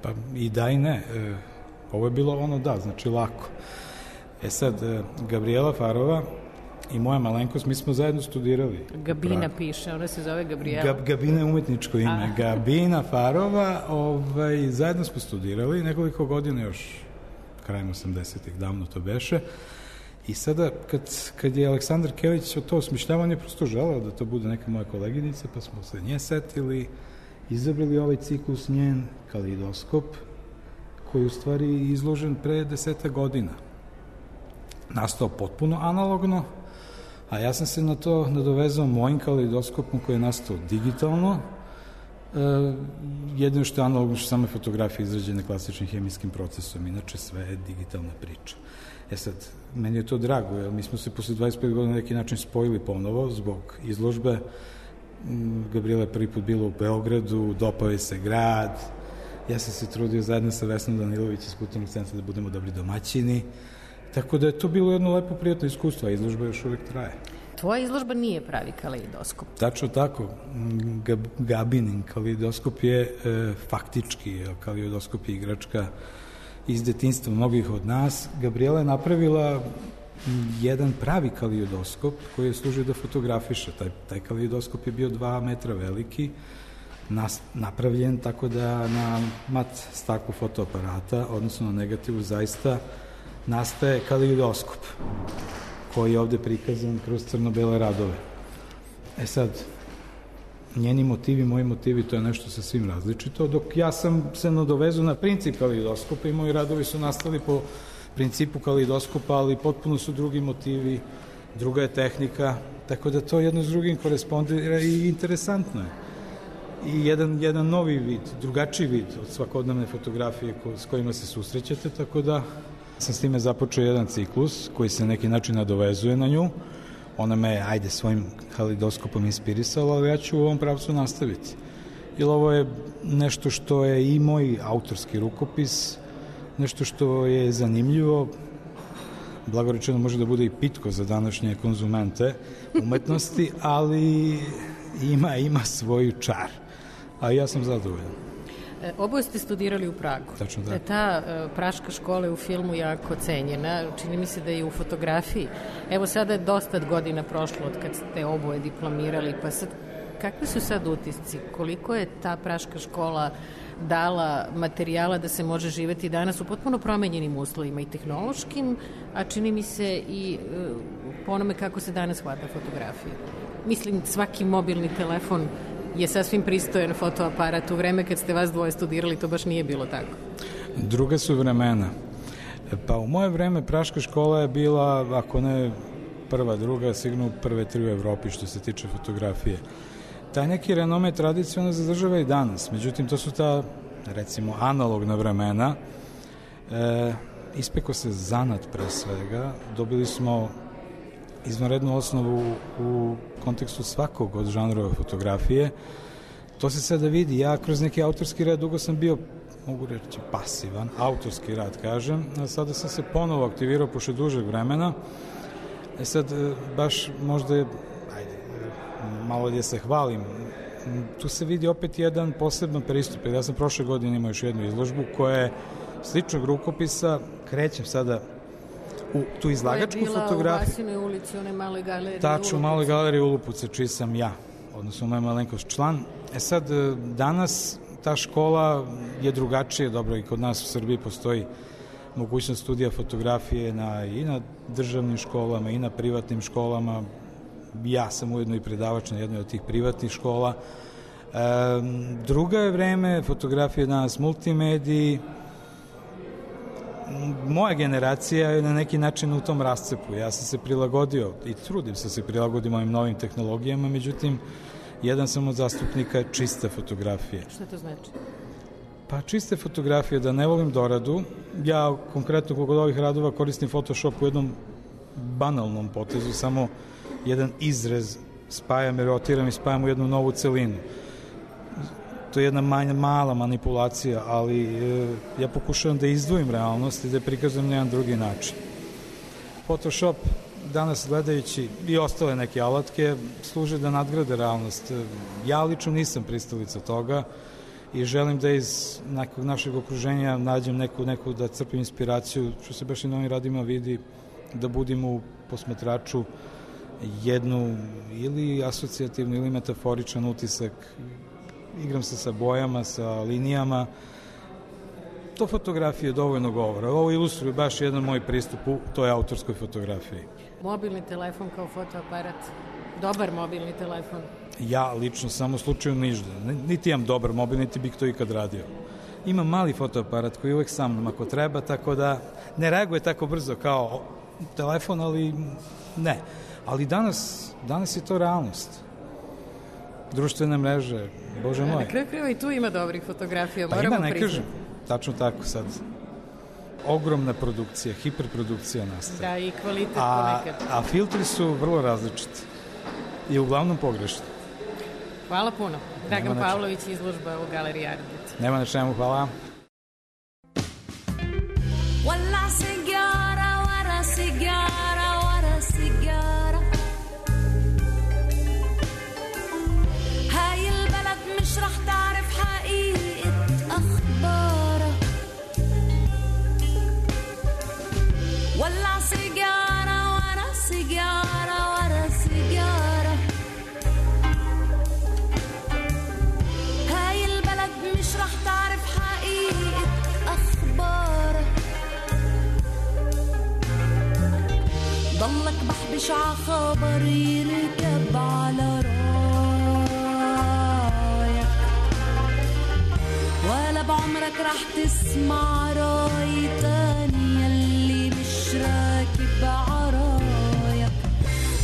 Pa i da i ne. Ovo je bilo znači lako. Sad, Gabriela Farova i moja malenkost, mi smo zajedno studirali. Gabina piše, ona se zove Gabriela. Gabina je umetničko ime. Gabina Farova, zajedno smo studirali nekoliko godina još krajem 80-ih, davno to beše. I sada, kad je Aleksandar Kelić to osmišljavao, on je prosto želeo da to bude neka moja koleginica, pa smo se nje setili, izabrali ovaj ciklus njen, Kaleidoskop, koji je u stvari izložen pre 10 godina. Nastao potpuno analogno, a ja sam se na to nadovezao mojim Kaleidoskopom koji je nastao digitalno. Jedino što je analogno, što same fotografije izrađene klasičnim hemijskim procesom, inače sve je digitalna priča. Sad, meni je to drago, jer mi smo se posle 25 godina na neki način spojili ponovo zbog izložbe. Gabriela je prvi put bila u Beogradu, dopao je se grad, ja sam se trudio zajedno sa Vesnom Danilović iz Kulturnog centra da budemo dobri domaćini, tako da je to bilo jedno lepo, prijatno iskustvo, a izložba još uvek traje. Tvoja izložba nije pravi kaleidoskop. Tačno tako. Gabinin kaleidoskop je faktički, kaleidoskop je igračka iz detinjstva mnogih od nas. Gabriela je napravila jedan pravi kaleidoskop koji je služio da fotografiše. Taj kaleidoskop je bio 2 metra veliki, napravljen tako da na mat staklu fotoaparata, odnosno na negativu, zaista nastaje kaleidoskop koji je ovde prikazan kroz crno-bele radove. Sad, njeni motivi, moji motivi, to je nešto sasvim različito, dok ja sam se nadovezao na princip kaleidoskopa i moji radovi su nastali po principu kaleidoskopa, ali potpuno su drugi motivi, druga je tehnika, tako da to jedno s drugim korespondira i interesantno je. I jedan novi vid, drugačiji vid od svakodnevne fotografije s kojima se susrećete, tako da sam s time započeo jedan ciklus koji se na neki način nadovezuje na nju. Ona me, svojim kaleidoskopom inspirisala, ali ja ću u ovom pravcu nastaviti. Jer ovo je nešto što je i moj autorski rukopis, nešto što je zanimljivo, blagorečeno može da bude i pitko za današnje konzumente umetnosti, ali ima svoju čar. A ja sam zadovoljan. Oboje ste studirali u Pragu. Tačno da. Ta praška škola je u filmu jako cenjena, čini mi se da je i u fotografiji. Evo sada je dosta godina prošlo od kad ste oboje diplomirali, pa sad kakvi su sad utisci? Koliko je ta praška škola dala materijala da se može živeti danas u potpuno promenjenim uslovima i tehnološkim, a čini mi se i po onome kako se danas hvata fotografija. Mislim, svaki mobilni telefon je sasvim pristojan fotoaparat. U vreme kad ste vas dvoje studirali, to baš nije bilo tako. Druga su vremena. Pa u moje vreme praška škola je bila, ako ne prva, druga, sigurno prve 3 u Evropi što se tiče fotografije. Taj neki renome tradicionalno zadržava i danas. Međutim, to su ta, recimo, analogna vremena. Ispekao se zanat pre svega. Dobili smo izvanrednu osnovu u kontekstu svakog od žanrova fotografije. To se sada vidi. Ja kroz neki autorski rad dugo sam bio, mogu reći, pasivan, autorski rad kažem, a sada sam se ponovo aktivirao pošto dužeg vremena. Sad, baš možda malo da se hvalim, tu se vidi opet jedan poseban pristup. Ja sam prošle godine imao još jednu izložbu koja je sličnog rukopisa, krećem sada u tu izlagačku fotografiju. Koja je bila u Vasinoj ulici, one maloj galeriji Tačno, u maloj galeriji Ulupuce, čiji sam ja, odnosno moja malenkost član. Sad, danas ta škola je drugačija, dobro, i kod nas u Srbiji postoji mogućnost studija fotografije i na državnim školama i na privatnim školama. Ja sam ujedno i predavač na jednoj od tih privatnih škola. Druga je vreme, fotografija danas multimediji. moja generacija je na neki način u tom rascepu. Ja sam se prilagodio i trudim se prilagodim ovim novim tehnologijama, međutim, jedan sam od zastupnika čiste fotografije. Šta to znači? Pa čiste fotografije, da ne volim doradu. Ja konkretno kod ovih radova koristim Photoshop u jednom banalnom potezu, samo jedan izrez spajam i rotiram i spajam u jednu novu celinu. To je jedna mala manipulacija, ali ja pokušavam da izdvojim realnost i da je prikazujem na jedan drugi način. Photoshop danas gledajući i ostale neke alatke služe da nadgrade realnost. Ja lično nisam pristalica toga i želim da iz nekog našeg okruženja nađem neku da crpim inspiraciju, što se baš i na ovim radima vidi, da budim u posmatraču jednu ili asocijativnu ili metaforičan utisak. Igram se sa bojama, sa linijama. To fotografije dovoljno govora. Ovo ilustruje baš jedan moj pristup u toj autorskoj fotografiji. Mobilni telefon kao fotoaparat. Dobar mobilni telefon. Ja lično samo u slučaju ništa. Niti imam dobar mobil, niti bih to ikad radio. Imam mali fotoaparat koji je uvek sa mnom ako treba, tako da ne reaguje tako brzo kao telefon, ali ne. Ali danas je to realnost. Društvene mreže, bože moj. Na kraju krajeva i tu ima dobrih fotografija, moramo priznati. Pa ima, ne kažem, tačno tako sad. Ogromna produkcija, hiperprodukcija nastaje. Da, i kvalitet ponekad. A filtri su vrlo različiti i uglavnom pogrešni. Hvala puno. Dragan Pavlović, izložba u Galeriji Ardit. Nema na čemu, hvala. Walla sigara, wara sigara, wara sigara. هاي البلد مش رح تعرف حقيقة أخبارها. ولع سيجارة ورا سيجارة ورا سيجارة. هاي البلد مش رح تعرف حقيقة أخبارها. ضلك بحبش ع خبر يركب على ولا بعمرك رح تسمع راي تاني يلي مش راكب عرايك.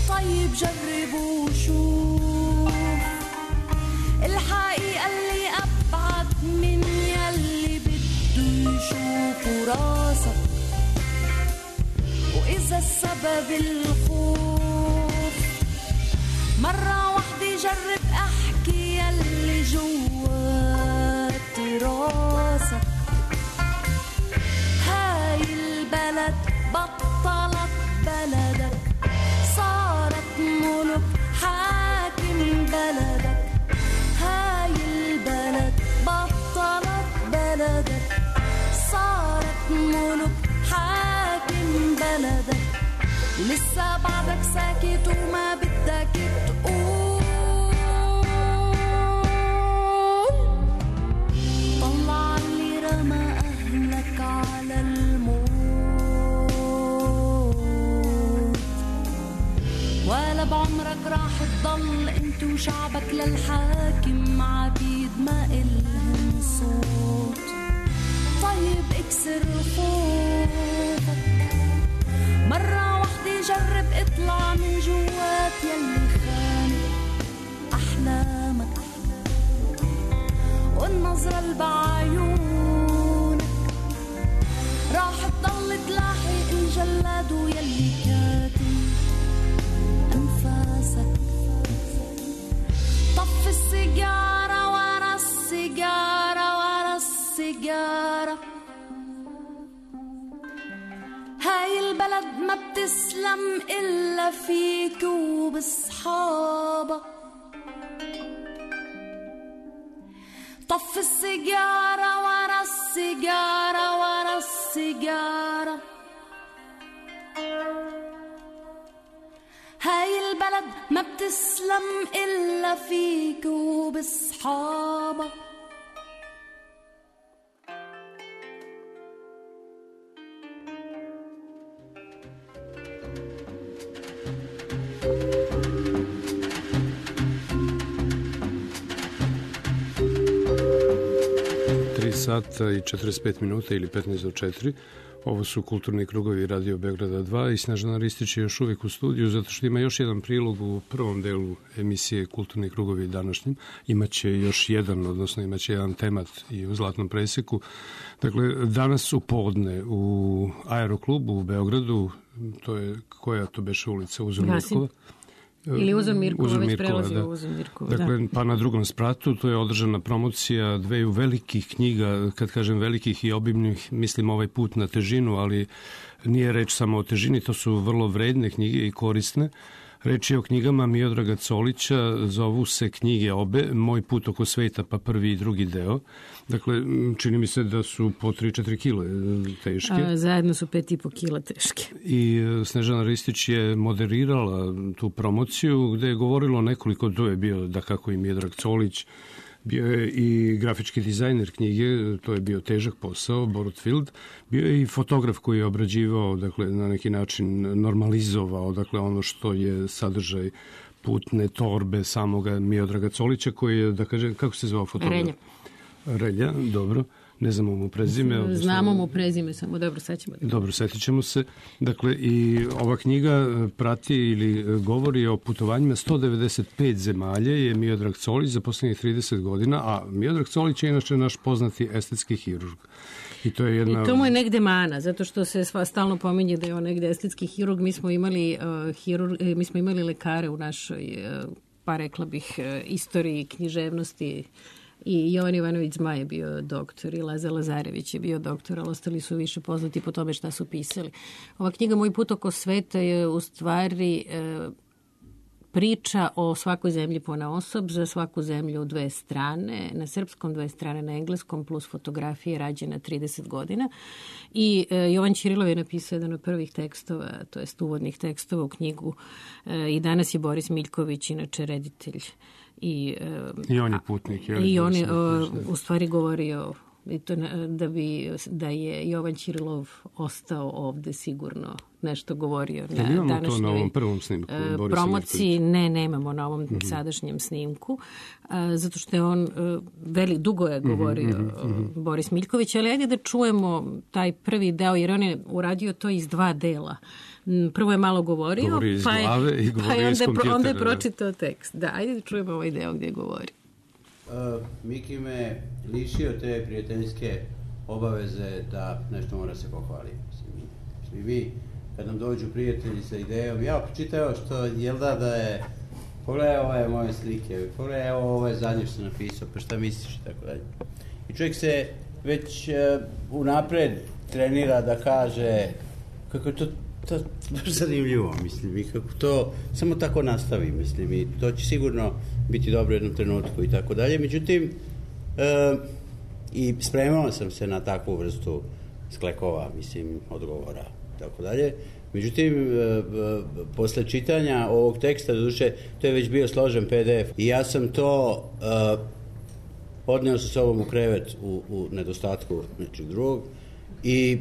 طيب جرب وشوف الحقيقة اللي أبعد من يلي بده يشوفه راسك. وإذا السبب الخوف مرة واحدة جرب أحكي يلي جوات راسك. هاي البلد بطلت بلدك، صارت ملك حاكم بلدك. هاي البلد بطلت بلدك، صارت ملك حاكم بلدك. ولسه بعدك ساكت وما بدك تقول. طلع اللي رمى أهلك على الموت. ولا بعمرك راح تضل انت وشعبك للحاكم عبيد ما إلهم صوت. طيب اكسر خوفك مرة واحدة، جرب اطلع من جوات يلي خانق أحلامك. والنظرة اللي بعيونك راح تضل تلاحق الجلاد ويلي كاتم أنفاسك. طف السيجارة ورا السيجارة ورا السيجارة. هاي البلد ما بتسلم إلا فيك وبصحابك. طف السيجارة ورا السيجارة ورا السيجارة. هاي البلد ما بتسلم إلا فيك وبصحابك. Sata i 45 minuta ili 15 do 4. Ovo su Kulturni krugovi Radio Beograda 2 i Snežana Ristić je još uvijek u studiju zato što ima još jedan prilog u prvom delu emisije Kulturni krugovi današnjim. Imaće još jedan, odnosno imaće jedan temat i u Zlatnom preseku. Dakle, danas u podne u Aeroklubu u Beogradu, to je, koja to beše ulica, Uzor Mirkova? Ili Uzor Mirkova, već prelazi u Uzor Mirkova. Dakle, pa na drugom spratu, to je održana promocija dveju velikih knjiga, kad kažem velikih i obimnih, mislim ovaj put na težinu, ali nije reč samo o težini, to su vrlo vredne knjige i korisne. Reč je o knjigama Miodraga Colića, zovu se knjige obe, Moj put oko sveta, pa prvi i drugi deo. Dakle, čini mi se da su po 3-4 kile teške. Zajedno su 5,5 kila teške. I Snežana Ristić je moderirala tu promociju gde je govorilo nekoliko, to je bio da kako i Miodrag Colić, bio je i grafički dizajner knjige, to je bio težak posao, Borut Field, bio je i fotograf koji je obrađivao, dakle, na neki način normalizovao, dakle, ono što je sadržaj putne torbe samoga Miodraga Colića, koji je, da kažem, kako se zvao fotograf? Relja, dobro. Ne znamo mu prezime. Znamo mu prezime, samo dobro, sećamo. Dobro, setit ćemo se. Dakle, i ova knjiga prati ili govori o putovanjima 195 zemalja je Miodrag Colić za poslednjih 30 godina, a Miodrag Colić je inače naš poznati estetski hirurg. I to je jedna... I to mu je negde mana, zato što se stalno pominje da je on negde estetski hirurg. Mi smo imali lekare u našoj, pa rekla bih, istoriji književnosti. I Jovan Ivanović Zmaj je bio doktor i Lazar Lazarević je bio doktor, ali ostali su više poznati po tome šta su pisali. Ova knjiga Moj put oko sveta je u stvari priča o svakoj zemlji ponaosob, za svaku zemlju 2 strane, na srpskom 2 strane, na engleskom, plus fotografije rađena 30 godina. I Jovan Ćirilov je napisao jedan od prvih tekstova, to jest uvodnih tekstova u knjigu. I danas je Boris Miljković, inače reditelj. I on je putnik. I on je u stvari govorio da je Jovan Ćirilov ostao ovde sigurno nešto govorio na današnjoj na ovom prvom snimku promociji. Ne, nemamo na ovom sadašnjem snimku, zato što je on dugo je govorio Boris Miljković, ali ajde da čujemo taj prvi deo, jer on je uradio to iz 2 dela. Prvo je malo govorio, pa onda je pročitao tekst. Da, ajde da čujemo ovaj deo gdje govori. Miki me lišio te prijateljske obaveze da nešto mora se pohvaliti. Mislim, vi, kad nam dođu prijatelji sa idejom, ja počitao što da je, pogledaj ove moje slike, pogledaj ovo je zadnje što sam napisao, pa šta misliš i tako dalje. I čovjek se već unapred trenira da kaže kako je to baš zanimljivo, mislim, i kako to samo tako nastavi, mislim, i to će sigurno biti dobro u jednom trenutku i tako dalje. Međutim, i spremao sam se na takvu vrstu sklekova, mislim, odgovora i tako dalje. Međutim, posle čitanja ovog teksta, doduše, to je već bio složen PDF i ja sam to odneo sa sobom u krevet u nedostatku nečeg drugog i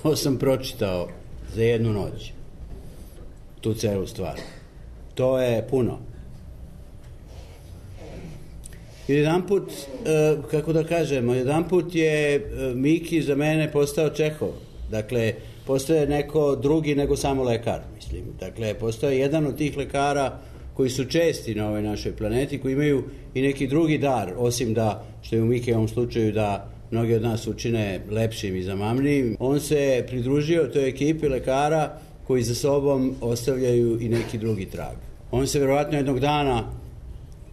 to sam pročitao za jednu noć, tu celu stvar. To je puno. I jedanput, kako da kažemo, jedanput je Miki za mene postao Čehov. Dakle, postoje neko drugi nego samo lekar, mislim. Dakle, postoje jedan od tih lekara koji su česti na ovoj našoj planeti, koji imaju i neki drugi dar, osim da, što je u Mikiovom slučaju, da mnogi od nas učine lepšim i zamamnijim. On se pridružio toj ekipi lekara koji za sobom ostavljaju i neki drugi trag. On se verovatno jednog dana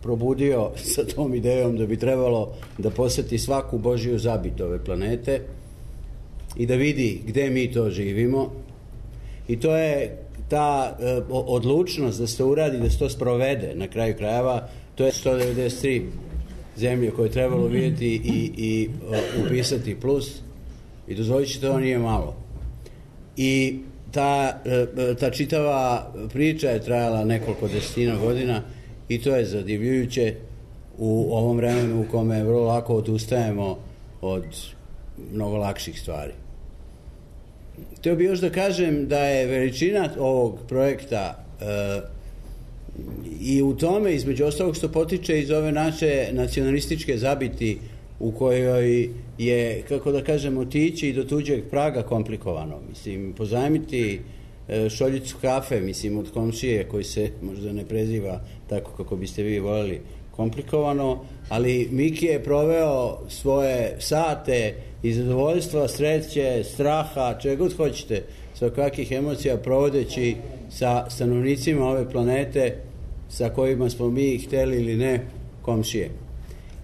probudio sa tom idejom da bi trebalo da poseti svaku Božiju zabit ove planete i da vidi gde mi to živimo. I to je ta odlučnost da se to uradi, da se to sprovede na kraju krajeva. To je 193 zemlje koje je trebalo vidjeti i upisati plus. I dozvolit ću, to nije malo. I ta čitava priča je trajala nekoliko desetina godina i to je zadivljujuće u ovom vremenu u kome vrlo lako odustajemo od mnogo lakših stvari. Htio bih još da kažem da je veličina ovog projekta i u tome, između ostalog, što potiče iz ove naše nacionalističke zabiti u kojoj je, kako da kažem, otići i do tuđeg praga komplikovano. Mislim, pozajmiti šoljicu kafe, mislim, od komšije koji se možda ne preziva tako kako biste vi voljeli, komplikovano, ali Miki je proveo svoje sate i zadovoljstva, sreće, straha, čega god hoćete, svakakih emocija provodeći sa stanovnicima ove planete sa kojima smo mi, hteli ili ne, komšije.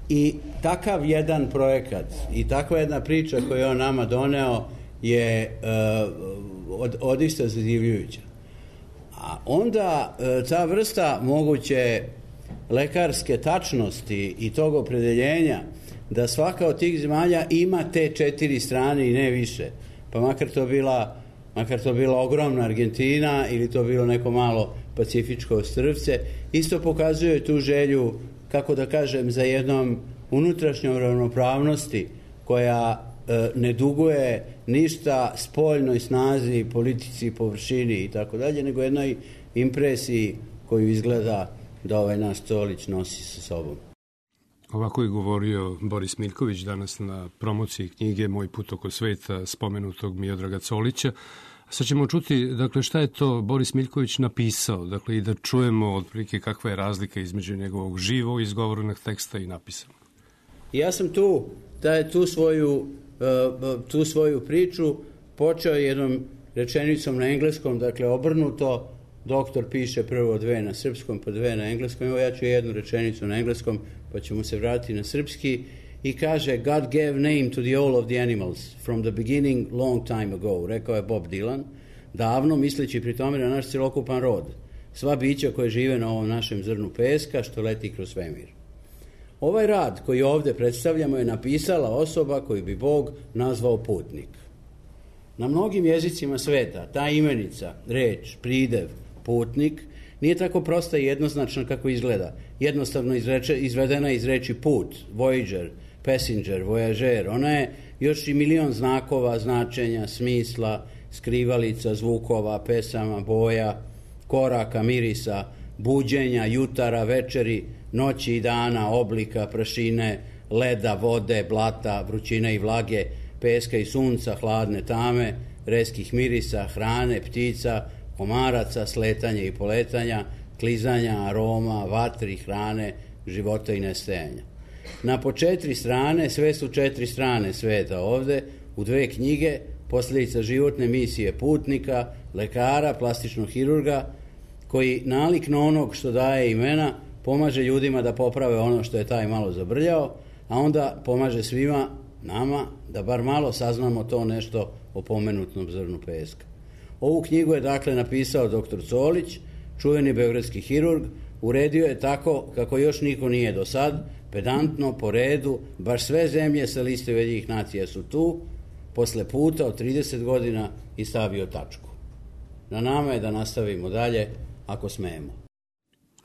I takav jedan projekat i takva jedna priča koju je on nama doneo je odista zadivljujuća. A onda ta vrsta moguće lekarske tačnosti i tog opredeljenja da svaka od tih zemalja ima te 4 strane i ne više, pa makar to bila ogromna Argentina ili to bilo neko malo pacifičko ostrvce, isto pokazuje tu želju, kako da kažem, za jednom unutrašnjom ravnopravnosti koja ne duguje ništa spoljnoj snazi, politici, površini i tako dalje, nego jednoj impresiji koju izgleda da ovaj naš Colić nosi sa sobom. Ovako je govorio Boris Miljković danas na promociji knjige Moj put oko sveta spomenutog Miodraga Colića. Sad ćemo čuti, dakle, šta je to Boris Miljković napisao, dakle, i da čujemo otprilike kakva je razlika između njegovog živo izgovorenog teksta i napisanog. Ja sam tu svoju priču počeo jednom rečenicom na engleskom, dakle, obrnuto. Doktor piše prvo 2 na srpskom, pa 2 na engleskom. Evo ja ću jednu rečenicu na engleskom, pa ćemo se vratiti na srpski. I kaže, God gave name to the all of the animals, from the beginning, long time ago, rekao je Bob Dylan, davno, misleći pri tome na naš celokupan rod, sva bića koje žive na ovom našem zrnu peska, što leti kroz svemir. Ovaj rad koji ovde predstavljamo je napisala osoba koju bi Bog nazvao putnik. Na mnogim jezicima sveta ta imenica, reč, pridev, putnik, nije tako prosta i jednoznačna kako izgleda. Jednostavno izvedena iz reči put, voyager, passenger, voyager. Ona je još i milion znakova, značenja, smisla, skrivalica, zvukova, pesama, boja, koraka, mirisa, buđenja, jutara, večeri, noći i dana, oblika, prašine, leda, vode, blata, vrućine i vlage, peska i sunca, hladne tame, reskih mirisa, hrane, ptica, komaraca, sletanja i poletanja, klizanja, aroma, vatri, hrane, života i nestajanja. Na po 4 strane, sve su 4 strane sveta ovde, u 2 knjige, posljedica životne misije putnika, lekara, plastičnog hirurga, koji nalik na onog što daje imena, pomaže ljudima da poprave ono što je taj malo zabrljao, a onda pomaže svima nama da bar malo saznamo to nešto o pomenutnom zrnu peska. Ovu knjigu je dakle napisao dr. Colić, čuveni beogradski hirurg, uredio je tako kako još niko nije do sad, pedantno, po redu, baš sve zemlje sa liste Ujedinjenih nacija su tu, posle puta od 30 godina i stavio tačku. Na nama je da nastavimo dalje, ako smemo.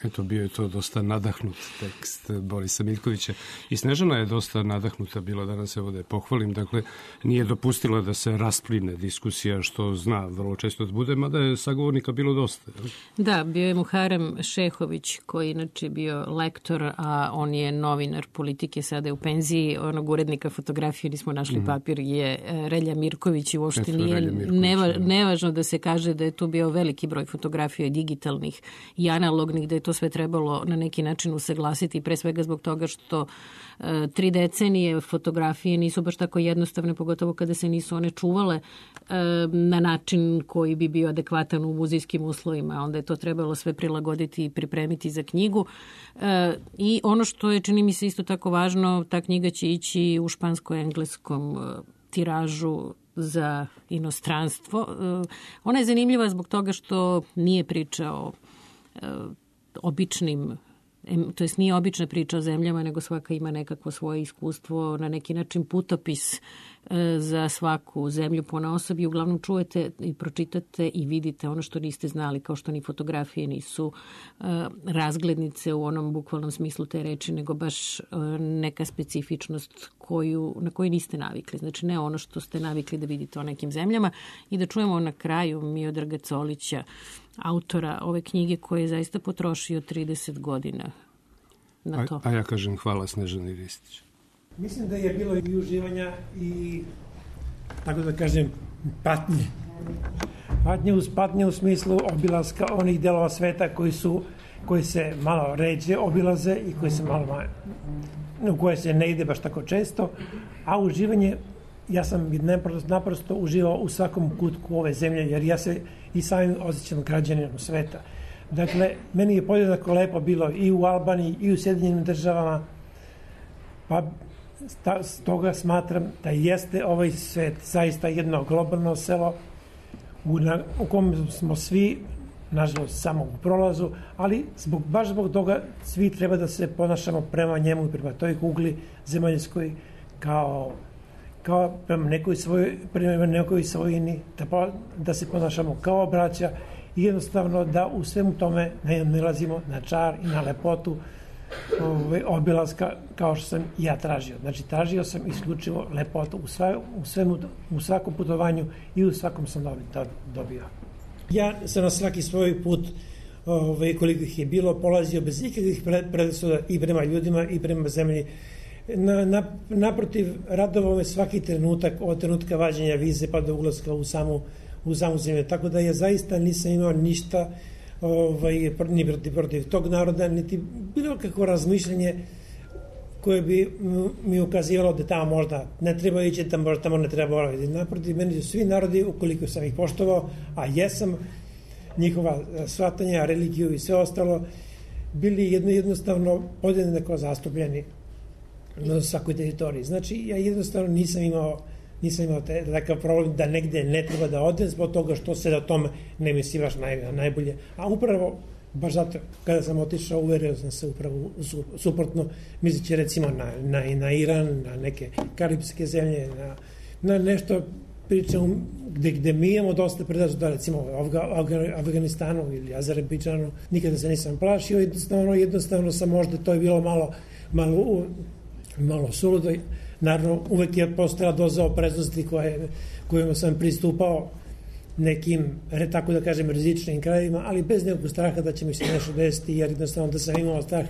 Eto, bio je to dosta nadahnut tekst Borisa Miljkovića. I Snežana je dosta nadahnuta bila danas, evo da je pohvalim. Dakle, nije dopustila da se raspline diskusija, što zna vrlo često da bude, mada je sagovornika bilo dosta. Da, bio je Muharem Šehović, koji inače bio lektor, a on je novinar politike, sada je u penziji. Onog urednika fotografije, nismo našli papir, je Relja Mirković i uopšte nije nevažno da se kaže da je tu bio veliki broj fotografija digitalnih i analognih, da je to sve trebalo na neki način usaglasiti, pre svega zbog toga što 3 decenije fotografije nisu baš tako jednostavne, pogotovo kada se nisu one čuvale na način koji bi bio adekvatan u muzejskim uslovima. Onda je to trebalo sve prilagoditi i pripremiti za knjigu. I ono što je, čini mi se, isto tako važno, ta knjiga će ići u špansko-engleskom tiražu za inostranstvo. Ona je zanimljiva zbog toga što nije priča o običnim, to jest nije obična priča o zemljama, nego svaka ima nekakvo svoje iskustvo, na neki način putopis za svaku zemlju ponaosob i uglavnom čujete i pročitate i vidite ono što niste znali, kao što ni fotografije nisu razglednice u onom bukvalnom smislu te reči, nego baš neka specifičnost na koju niste navikli. Znači ne ono što ste navikli da vidite o nekim zemljama. I da čujemo na kraju Miodraga Colića, autora ove knjige, koji je zaista potrošio 30 godina na to. A ja kažem hvala Snežani Ristić. Mislim da je bilo i uživanja i, tako da kažem, patnje. Patnje u smislu obilaska onih delova sveta koji se malo ređe obilaze i u koje se ne ide baš tako često, a uživanje, ja sam naprosto uživao u svakom kutku ove zemlje, jer ja se i samim osjećam građaninom sveta. Dakle, meni je podjednako lepo bilo i u Albaniji i u Sjedinjenim državama, pa stoga smatram da jeste ovaj svet zaista jedno globalno selo u kom smo svi, nažalost, samo u prolazu, ali baš zbog toga svi treba da se ponašamo prema njemu i prema toj kugli zemaljskoj kao prema nekoj svojini, da se ponašamo kao braća i jednostavno da u svemu tome ne nalazimo na čar i na lepotu obilaska kao što sam ja tražio. Znači, tražio sam isključivo lepotu u svakom putovanju i u svakom sam dobio. Ja sam na svaki svoj put, koliko ih je bilo, polazio bez ikakvih predrasuda i prema ljudima i prema zemlji. Naprotiv, radovao me svaki trenutak, od trenutka vađenja vize pa do ulaska u samu zemlju. Tako da ja zaista nisam imao ništa ni protiv tog naroda, niti bilo kakvo razmišljanje koje bi mi ukazivalo da tamo možda ne treba ići, tamo ne treba boraviti. Naprotiv, meni su svi narodi, ukoliko sam ih poštovao, a jesam, njihova shvatanja, religiju i sve ostalo, bili jednostavno podjednako zastupljeni na svakoj teritoriji. Znači, ja jednostavno nisam imao takav problem da negde ne treba da odem zbog toga što se da tome ne misli baš najbolje. A upravo, baš zato, kada sam otišao, uverio sam se upravo suprotno, misleći recimo na Iran, na neke karibske zemlje, na nešto pričamo gde mi imamo dosta predrasuda, recimo Afganistanu ili Azerbejdžanu, nikada se nisam plašio, jednostavno sam možda, to je bilo malo suludo. Naravno, uvek je postojala doza opreznosti kojima sam pristupao nekim, tako da kažem, rizičnim krajevima, ali bez nekog straha da će mi se nešto desiti, jer jednostavno da sam imao strah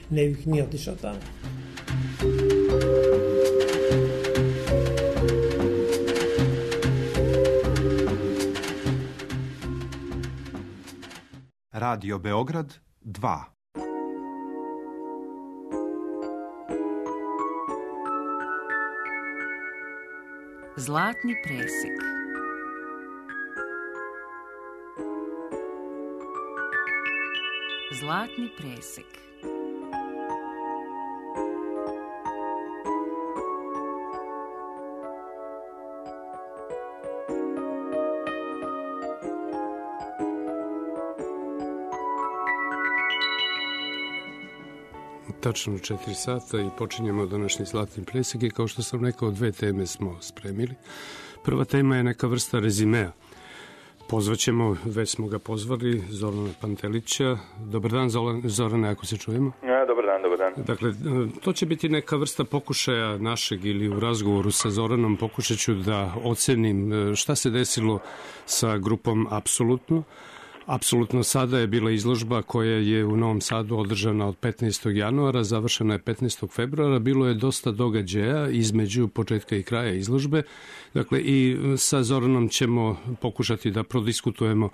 ne bih ni otišao tamo. Radio Beograd 2. Zlatni presek. Zlatni presek. Tačno 4 sata i počinjemo današnji zlatni presek i kao što sam rekao, 2 teme smo spremili. Prva tema je neka vrsta rezimea. Pozvaćemo, već smo ga pozvali, Zorana Pantelića. Dobar dan, Zorane, ako se čujemo. Dobar dan. Dakle, to će biti neka vrsta pokušaja našeg ili u razgovoru sa Zoranom pokušat ću da ocenim šta se desilo sa grupom Apsolutno. Apsolutno sada je bila izložba koja je u Novom Sadu održana od 15. januara, završena je 15. februara. Bilo je dosta događaja između početka i kraja izložbe. Dakle, i sa Zoranom ćemo pokušati da prodiskutujemo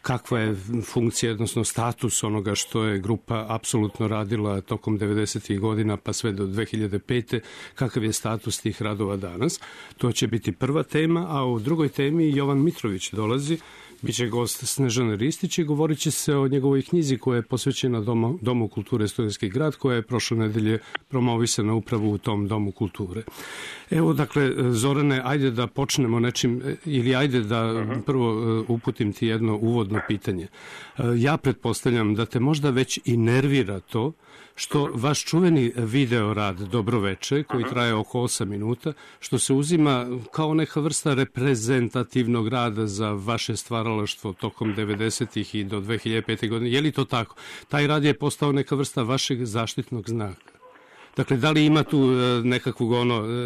kakva je funkcija, odnosno status onoga što je grupa Apsolutno radila tokom 90. godina pa sve do 2005. Kakav je status tih radova danas. To će biti prva tema, a u drugoj temi Jovan Mitrović dolazi. Biće gost Snežane Ristić i govorit će se o njegovoj knjizi koja je posvećena Domu kulture Studentski grad, koja je prošle nedelje promovisana upravo u tom Domu kulture. Evo, dakle, Zorane, ajde da počnemo nečim, ili ajde da prvo uputim ti jedno uvodno pitanje. Ja pretpostavljam da te možda već i nervira to što vaš čuveni video rad Dobroveče, koji traje oko 8 minuta, što se uzima kao neka vrsta reprezentativnog rada za vaše stvaralaštvo tokom 90-ih i do 2005. godine. Je li to tako? Taj rad je postao neka vrsta vašeg zaštitnog znaka. Dakle, da li ima tu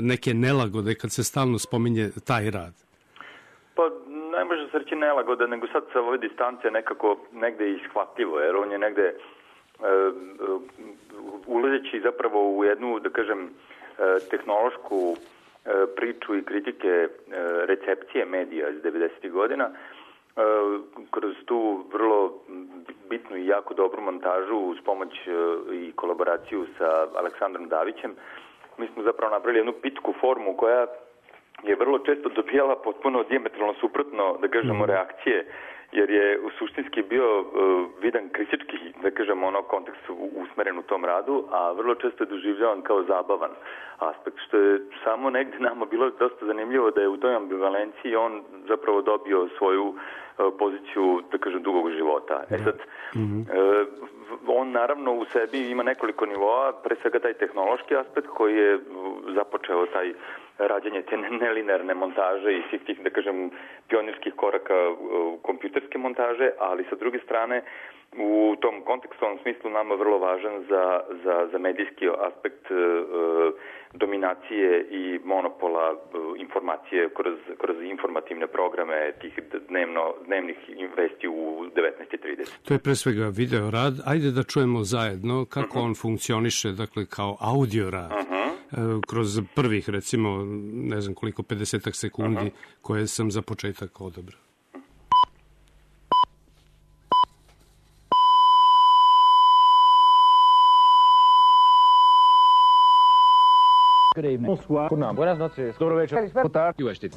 neke nelagode kad se stalno spominje taj rad? Pa ne može se reći nelagode, nego sad sa ove distance nekako negde ishvatljivo, jer on je negde ulazeći zapravo u jednu, da kažem, tehnološku priču i kritike recepcije medija iz 90. godina, kroz tu vrlo bitnu i jako dobru montažu uz pomoć i kolaboraciju sa Aleksandrom Davićem, mi smo zapravo napravili jednu pitku formu koja je vrlo često dobijala potpuno dijametralno suprotno, da kažemo, reakcije, jer je u suštinski bio vidan kritički, da kažemo, kontekst usmeren u tom radu, a vrlo često je doživljavan kao zabavan aspekt, što je samo negde nama bilo dosta zanimljivo da je u toj ambivalenciji on zapravo dobio svoju poziciju, da kažem, dugog života. Sad, on naravno u sebi ima nekoliko nivoa, pre svega taj tehnološki aspekt koji je započeo taj rađanje te nelinearne montaže i svih tih, da kažem, pionirskih koraka kompjuterske montaže, ali sa druge strane u tom kontekstualnom smislu nama vrlo važan za medijski aspekt dominacije i monopola informacije kroz informativne programe tih dnevnih vesti u 19:30. To je pre svega video rad. Ajde da čujemo zajedno kako on funkcioniše, dakle, kao audio rad. Kroz prvih, recimo, ne znam koliko, 50 sekundi koje sam za početak odabrao. Good evening. Bonsoir. Buenas noches. Dobro večer. Boa tarde. Dobro večer.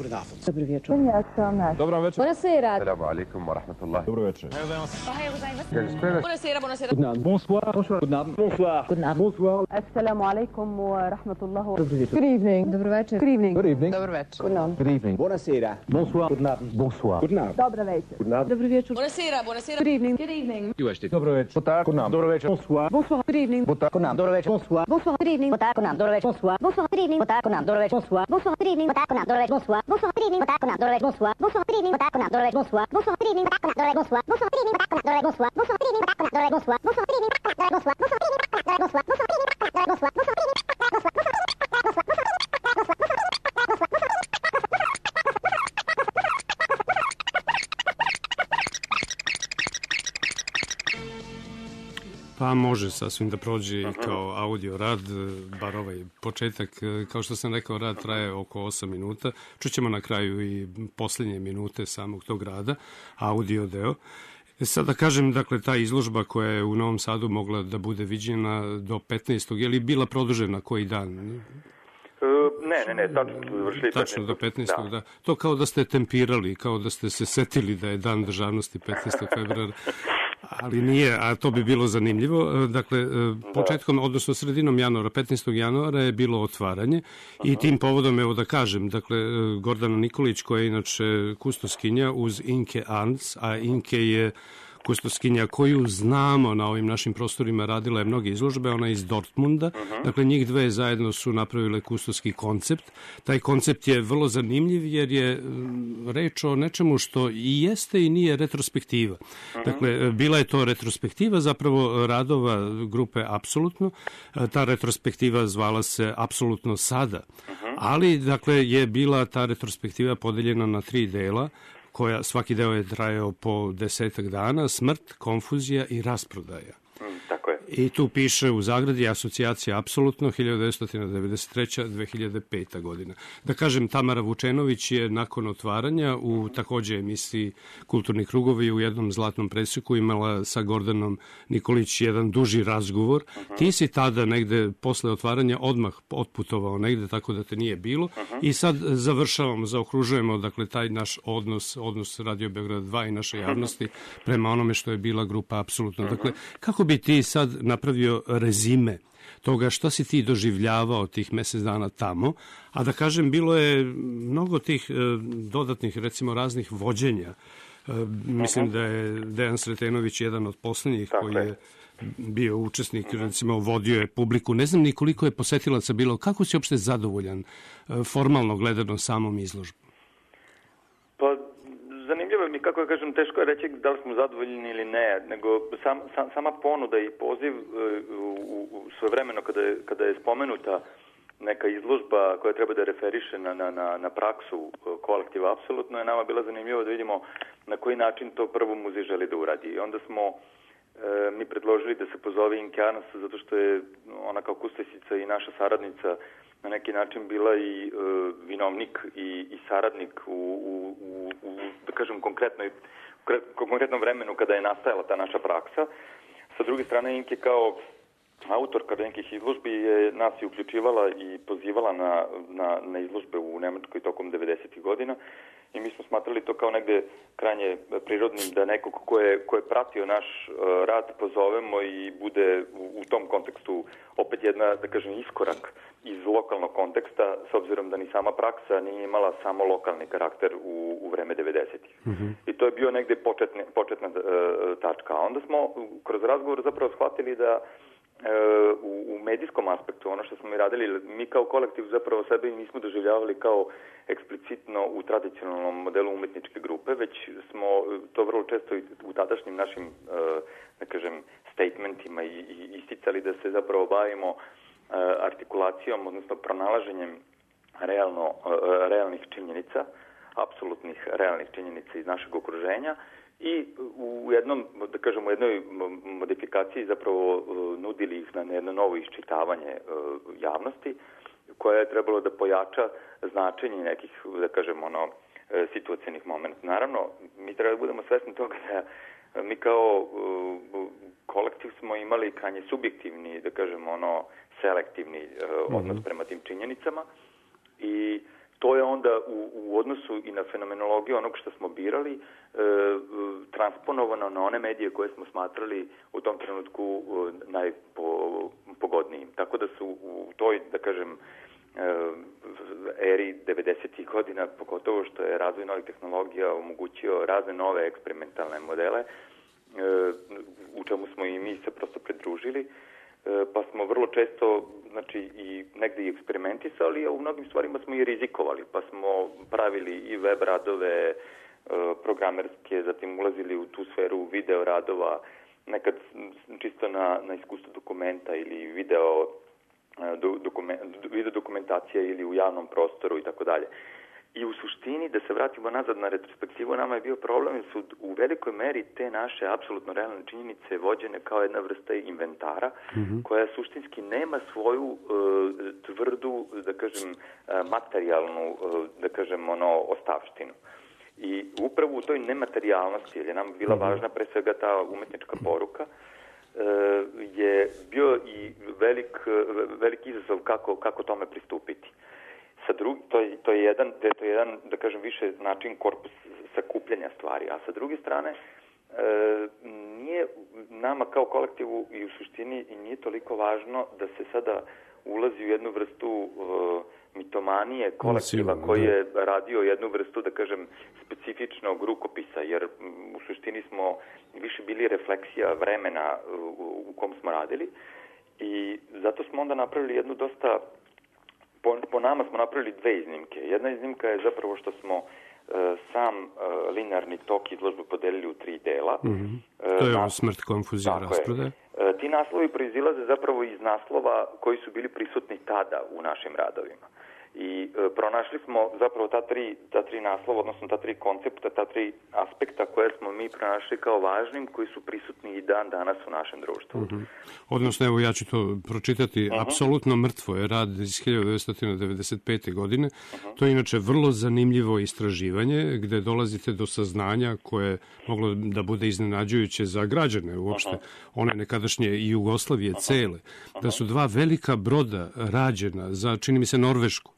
Dobro večer. Buonasera. Assalamu alaikum wa rahmatullah. Dobro večer. Buonasera, buonasera. Bonsoir. Bonsoir. Bonsoir. Assalamu alaikum wa rahmatullah. Good evening. Dobro večer. Good evening. Good evening. Dobro večer. Good evening. Buonasera. Bonsoir. Bonsoir. Dobro večer. Dobro večer. Buonasera, buonasera. Good evening. Good evening. Dobro večer. Dobro večer. Bonsoir. Bonsoir. Good evening. Dobro večer. Bonsoir. Bonsoir. Good evening. Dobro večer. Bonsoir. Bonsoir. Good evening. Dobro večer. Bonsoir. Bonsoir. Good evening. Dobro večer. Bonsoir. Bonsoir. Good evening. Dobro večer. Bonsoir. Bonsoir. Good evening. Dobro večer. Bonsoir. Bonsoir. Good evening. Dobro večer. Bonsoir. Bonsoir. Good evening. Dobro večer. Bonsoir. Bonsoir. Good evening. Dobro večer. Bonsoir. Bonsoir. Good evening. Dobro večer. Bonsoir. Bonsoir. Good evening. Dobro večer. Bonsoir. Bonsoir. Good evening. Dobro večer. Bonsoir. Bonsoir. Good evening. Pa može sasvim da prođe i kao audio rad, bar ovaj početak. Kao što sam rekao, rad traje oko 8 minuta. Čućemo na kraju i posljednje minute samog tog rada, audio deo. Sad da kažem, dakle, ta izložba koja je u Novom Sadu mogla da bude viđena do 15. Je li bila produžena koji dan? Ne, tačno smo završili 15. Tačno do 15. Da. To kao da ste tempirali, kao da ste se setili da je dan državnosti 15. februara. Ali nije, a to bi bilo zanimljivo. Dakle, početkom, odnosno sredinom januara, 15. januara je bilo otvaranje i tim povodom, evo da kažem, dakle, Gordana Nikolić, koja je inače kustoskinja uz Inke Arns, a Inke je kustoskinja koju znamo na ovim našim prostorima, radila je mnoge izložbe, ona je iz Dortmunda, dakle njih dve zajedno su napravile kustoski koncept. Taj koncept je vrlo zanimljiv jer je reč o nečemu što i jeste i nije retrospektiva. Dakle, bila je to retrospektiva zapravo radova grupe Apsolutno, ta retrospektiva zvala se Apsolutno sada, ali dakle je bila ta retrospektiva podeljena na 3 dela, koja svaki deo je trajao po 10 dana, smrt, konfuzija i rasprodaja. Tako je. I tu piše u zagradi asocijacija Apsolutno 1993-2005. godina. Da kažem, Tamara Vučenović je nakon otvaranja u takođe emisiji Kulturni krugovi u jednom zlatnom preseku imala sa Gordanom Nikolić jedan duži razgovor. Ti si tada negde posle otvaranja odmah otputovao negde, tako da te nije bilo. I sad završavamo, zaokružujemo, dakle, taj naš odnos Radio Beograd 2 i naše javnosti prema onome što je bila grupa Apsolutno. Dakle, kako bi ti sad napravio rezime toga što si ti doživljavao tih mesec dana tamo, a da kažem, bilo je mnogo tih dodatnih, recimo, raznih vođenja. Mislim da je Dejan Sretenović jedan od poslednjih koji je bio učesnik, recimo, vodio je publiku. Ne znam ni koliko je posetilaca bilo. Kako si uopšte zadovoljan formalno gledano samom izložbom? Pa, zanimljivo mi, kako ja kažem, teško je reći da li smo zadovoljni ili ne, nego sama ponuda i poziv u svojevremeno kada je spomenuta neka izložba koja treba da referiše na praksu kolektiva Apsolutno, je nama bila zanimljivo da vidimo na koji način to prvo muzej želi da uradi. I onda smo mi predložili da se pozove Inke Arns, zato što je ona kao kustosica i naša saradnica na neki način bila i vinovnik i saradnik u da kažem, konkretnom vremenu kada je nastajala ta naša praksa. Sa druge strane, Ink je kao autorka nekih izložbi je nas i uključivala i pozivala na izložbe u Nemačkoj tokom 90. godina i mi smo smatrali to kao negde krajnje prirodnim da nekog ko je pratio naš rad pozovemo i bude u tom kontekstu opet jedna, da kažem, iskorak iz lokalnog konteksta, s obzirom da ni sama praksa nije imala samo lokalni karakter u vreme 90-ih. I to je bio negde početna tačka. A onda smo kroz razgovor zapravo shvatili da u medijskom aspektu, ono što smo mi radili, mi kao kolektiv zapravo sebe nismo doživljavali kao eksplicitno u tradicionalnom modelu umetničke grupe, već smo to vrlo često u tadašnjim našim, da kažem, statementima i isticali da se zapravo bavimo artikulacijom, odnosno pronalaženjem realnih činjenica, apsolutnih realnih činjenica iz našeg okruženja i u jednom, da kažem, u jednoj modifikaciji zapravo nudili ih na jedno novo iščitavanje javnosti, koja je trebalo da pojača značenje nekih, da kažem, situacijnih momenta. Naravno, mi treba da budemo svesni toga da mi kao kolektiv smo imali krajnje subjektivni, da kažem, selektivni odnos prema tim činjenicama i to je onda u odnosu i na fenomenologiju onog što smo birali transponovano na one medije koje smo smatrali u tom trenutku najpogodnijim. Tako da su u toj, da kažem, eri 90. godina, pogotovo što je razvoj novih tehnologija omogućio razne nove eksperimentalne modele, u čemu smo i mi se prosto pridružili, pa smo vrlo često, znači, i negde i eksperimentisali, a u mnogim stvarima smo i rizikovali, pa smo pravili i web radove programerske, zatim ulazili u tu sferu video radova, nekad čisto na iskustvo dokumenta ili video dokumentacija ili u javnom prostoru i tako dalje. I u suštini, da se vratimo nazad na retrospektivu, nama je bio problem su u velikoj meri te naše apsolutno realne činjenice vođene kao jedna vrsta inventara koja suštinski nema svoju tvrdu, da kažem, materijalnu, da kažem, ostavštinu. I upravo u toj nematerijalnosti, jer je nam bila važna pre svega ta umetnička poruka, je bio i velik izazov kako tome pristupiti. To je jedan, da kažem, više način korpus sakupljanja stvari, a sa druge strane nije nama kao kolektivu i u suštini i nije toliko važno da se sada ulazi u jednu vrstu mitomanije kolektiva koji je radio jednu vrstu, da kažem, specifičnog rukopisa, jer u suštini smo više bili refleksija vremena u kom smo radili i zato smo onda napravili jednu dosta, po nama smo napravili dve iznimke. Jedna iznimka je zapravo što smo sam linearni tok izložbe podelili u 3 dela. To je smrt, konfuzija, rasprodaja. Ti naslovi proizilaze zapravo iz naslova koji su bili prisutni tada u našim radovima. I pronašli smo zapravo ta tri naslova, odnosno ta 3 koncepta, ta 3 aspekta koje smo mi pronašli kao važnim, koji su prisutni i dan danas u našem društvu. Odnosno, evo ja ću to pročitati, apsolutno mrtvo je rad iz 1995. godine. To je inače vrlo zanimljivo istraživanje gde dolazite do saznanja koje je moglo da bude iznenađujuće za građane uopšte, one nekadašnje Jugoslavije cele, da su 2 velika broda rađena za, čini mi se, Norvešku,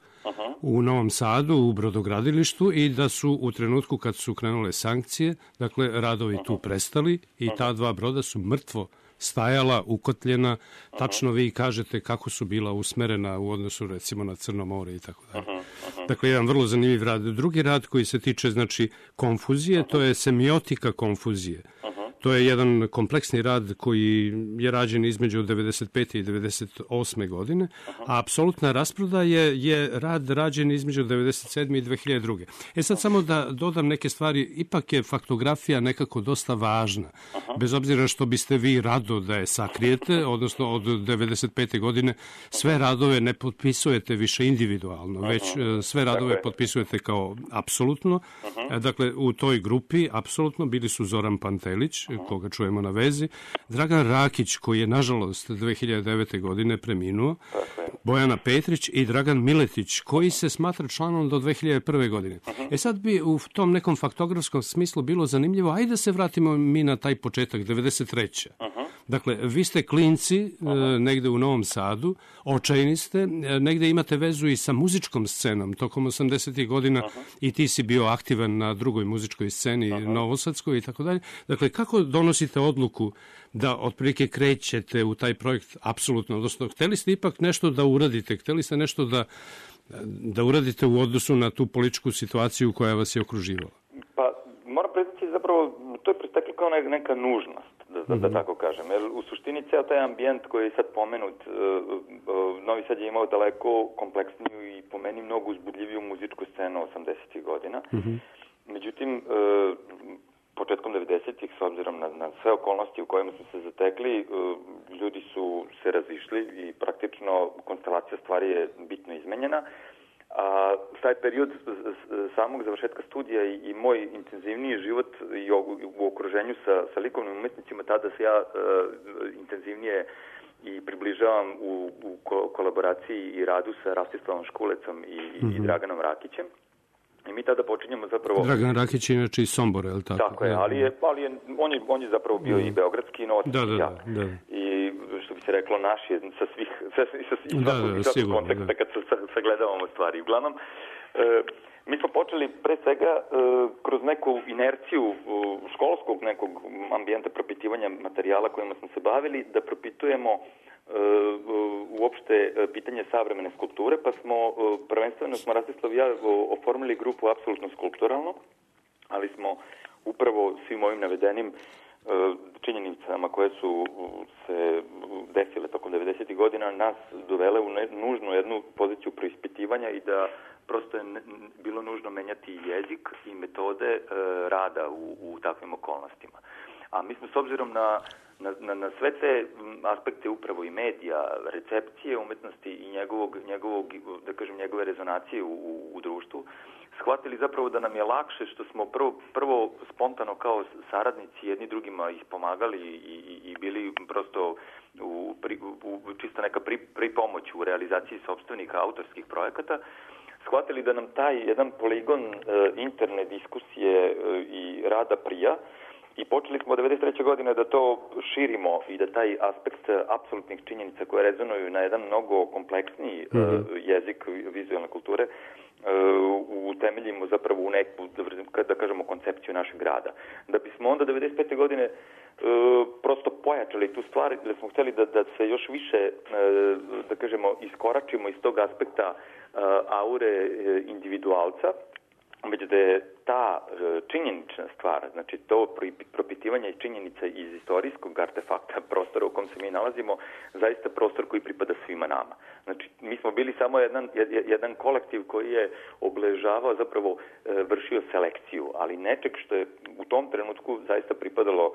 u Novom Sadu, u brodogradilištu i da su u trenutku kad su krenule sankcije, dakle, radovi tu prestali i ta 2 broda su mrtvo stajala, ukotljena, tačno vi kažete kako su bila usmerena u odnosu, recimo, na Crno more i tako dalje. Dakle, jedan vrlo zanimljiv rad. Drugi rad koji se tiče, znači, konfuzije, to je semiotika konfuzije. To je jedan kompleksni rad koji je rađen između 95. i 98. godine, a apsolutna rasprodaja je rad rađen između 97. i 2002. Sad samo da dodam neke stvari, ipak je faktografija nekako dosta važna, bez obzira što biste vi rado da je sakrijete, odnosno od 95. godine sve radove ne potpisujete više individualno, već sve radove potpisujete kao apsolutno. Dakle, u toj grupi apsolutno bili su Zoran Pantelić, koga čujemo na vezi, Dragan Rakić, koji je nažalost 2009. godine preminuo, Bojana Petrić i Dragan Miletić, koji se smatra članom do 2001. godine. Sad bi u tom nekom faktografskom smislu bilo zanimljivo, ajde da se vratimo mi na taj početak, 93. Dakle, vi ste klinci negde u Novom Sadu, očajni ste, negde imate vezu i sa muzičkom scenom tokom 80. godina i ti si bio aktivan na drugoj muzičkoj sceni, novosadskoj i tako dalje. Dakle, kako donosite odluku da otprilike krećete u taj projekt apsolutno, odnosno hteli ste ipak nešto da uradite, hteli ste nešto da uradite u odnosu na tu političku situaciju koja vas je okruživala? Pa, moram priznati, zapravo, to je presteklo kao neka nužnost, da tako kažem. Jer u suštini ceo taj ambijent koji je sad pomenut, Novi Sad je imao daleko kompleksniju i po meni mnogo uzbudljiviju muzičku scenu 80. godina. Međutim, početkom 90-ih, s obzirom na sve okolnosti u kojima smo se zatekli, ljudi su se razišli i praktično konstelacija stvari je bitno izmenjena. A taj period samog završetka studija i moj intenzivniji život i u okruženju sa likovnim umetnicima, tada se ja intenzivnije i približavam u kolaboraciji i radu sa Rastislavom Škulecom i Draganom Rakićem. I mi tada počinjemo zapravo... Dragan Rakić je inače iz Sombora, je li tako? Tako je, ali on je zapravo bio i beogradski i novosadski jak. I što bi se reklo, naš je sa svih svakog konteksta kad sagledavamo stvari. Uglavnom, mi smo počeli pre svega kroz neku inerciju školskog nekog ambijenta propitivanja materijala kojima smo se bavili, da propitujemo uopšte pitanje savremene skulpture, pa smo prvenstveno Rastislav i ja oformili grupu apsolutno skulpturalno, ali smo upravo svim ovim navedenim činjenicama koje su se desile tokom 90. godina nas dovele u nužnu jednu poziciju preispitivanja i da prosto je bilo nužno menjati jezik i metode rada u takvim okolnostima. A mi smo s obzirom na sve te aspekte upravo i medija, recepcije umetnosti i da kažem, njegove rezonacije u društvu, shvatili zapravo da nam je lakše što smo prvo spontano kao saradnici jedni drugima ispomagali i bili prosto čisto neka pripomoć u realizaciji sopstvenih autorskih projekata, shvatili da nam taj jedan poligon interne diskusije i rada prija. I počeli smo od 1993. godine da to širimo i da taj aspekt apsolutnih činjenica koje rezonuju na jedan mnogo kompleksniji jezik vizualne kulture utemeljimo zapravo u neku, da kažemo, koncepciju našeg rada. Da bismo onda 1995. godine prosto pojačali tu stvar, da smo htjeli da se još više, da kažemo, iskoračimo iz tog aspekta aure individualca, već da je ta činjenična stvar, znači to propitivanje činjenica iz istorijskog artefakta prostora u kom se mi nalazimo, zaista prostor koji pripada svima nama. Znači, mi smo bili samo jedan kolektiv koji je obeležavao, zapravo vršio selekciju, ali nečeg što je u tom trenutku zaista pripadalo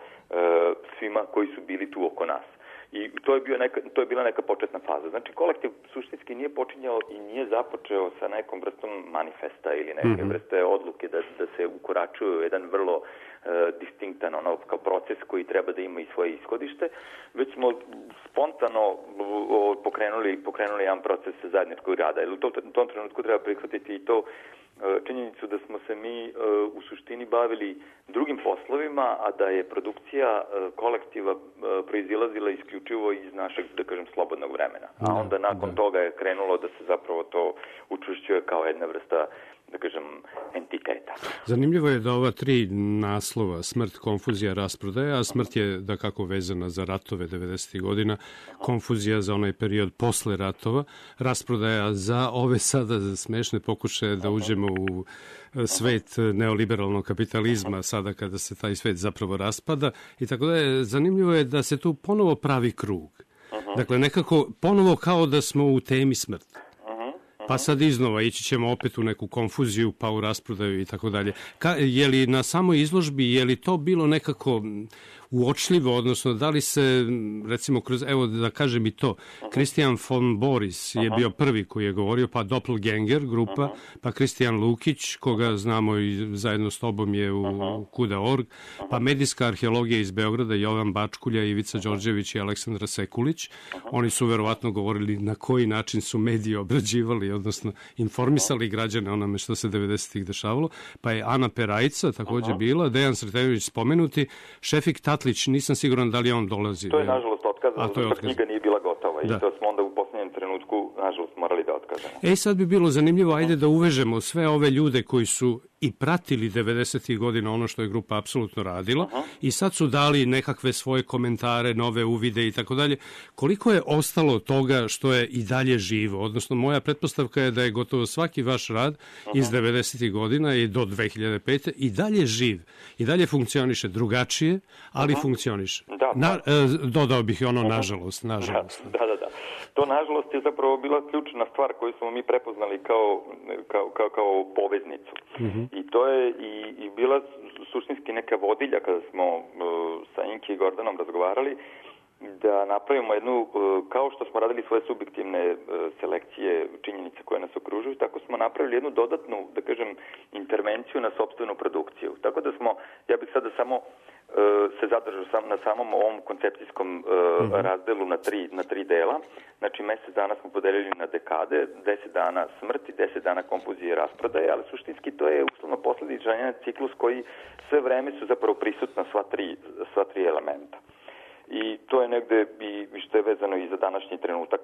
svima koji su bili tu oko nas. I to je bila neka početna faza. Znači, kolektiv suštinski nije počinjao i nije započeo sa nekom vrstom manifesta ili neke vrste odluke da se ukoračuju jedan vrlo distinktan kao proces koji treba da ima i svoje ishodište, već smo spontano pokrenuli jedan proces zajedničkog rada. Jer u tom trenutku treba prihvatiti i to činjenicu da smo se mi u suštini bavili drugim poslovima, a da je produkcija kolektiva proizilazila isključivo iz našeg, da kažem, slobodnog vremena. A onda nakon toga je krenulo da se zapravo to učvršćuje kao jedna vrsta, da kažem, entiteta. Zanimljivo je da ova tri naslova, smrt, konfuzija, rasprodaja, a smrt je da kako vezana za ratove 90. godina, konfuzija za onaj period posle ratova, rasprodaja za ove sada smešne pokušaje da uđemo u svet neoliberalnog kapitalizma sada kada se taj svet zapravo raspada i tako da je zanimljivo je da se tu ponovo pravi krug. Dakle, nekako ponovo kao da smo u temi smrti. Pa sad iznova ići ćemo opet u neku konfuziju, pa u rasprodaju i tako dalje. Je li na samoj izložbi, je li to bilo nekako uočljivo, odnosno da li se, recimo, kroz, evo da kažem i to, Kristijan von Boris je bio prvi koji je govorio, pa Doppelganger grupa, pa Kristijan Lukić, koga znamo i zajedno s tobom je u Kuda.org, pa medijska arheologija iz Beograda, Jovan Bačkulja, Ivica Đorđević i Aleksandra Sekulić. Oni su verovatno govorili na koji način su mediji obrađivali, odnosno informisali građane onome što se 90-ih dešavalo. Pa je Ana Perajca takođe bila, Dejan Sretenović spomenuti, Šefik Tatlić, nisam siguran da li on dolazi. To je nažalost otkazano, zato knjiga nije bila gotova i to smo onda u posljednjem trenutku nažalost morali da otkazamo. Sad bi bilo zanimljivo, ajde da uvežemo sve ove ljude koji su i pratili 90. godina ono što je grupa apsolutno radila i sad su dali nekakve svoje komentare, nove uvide i tako dalje. Koliko je ostalo toga što je i dalje živo? Odnosno, moja pretpostavka je da je gotovo svaki vaš rad iz 90. godina i do 2005. i dalje živ. I dalje funkcioniše drugačije, ali funkcioniše. Dodao bih ono nažalost. Da. To nažalost je zapravo bila ključna stvar koju smo mi prepoznali kao poveznicu. I to je i bila suštinski neka vodilja kada smo sa Inki i Gordanom razgovarali da napravimo jednu, kao što smo radili svoje subjektivne selekcije činjenica koje nas okružuju, tako smo napravili jednu dodatnu, da kažem, intervenciju na sopstvenu produkciju. Tako da smo, ja bih sada samo se zadržao na samom ovom koncepcijskom razdelu na tri dela. Znači, mesec dana smo podelili na dekade, 10 dana smrti, 10 dana konfuzije i rasprodaje, ali suštinski to je uslovno posledičan ciklus koji sve vreme su zapravo prisutna sva tri elementa. I to je negde i što je vezano i za današnji trenutak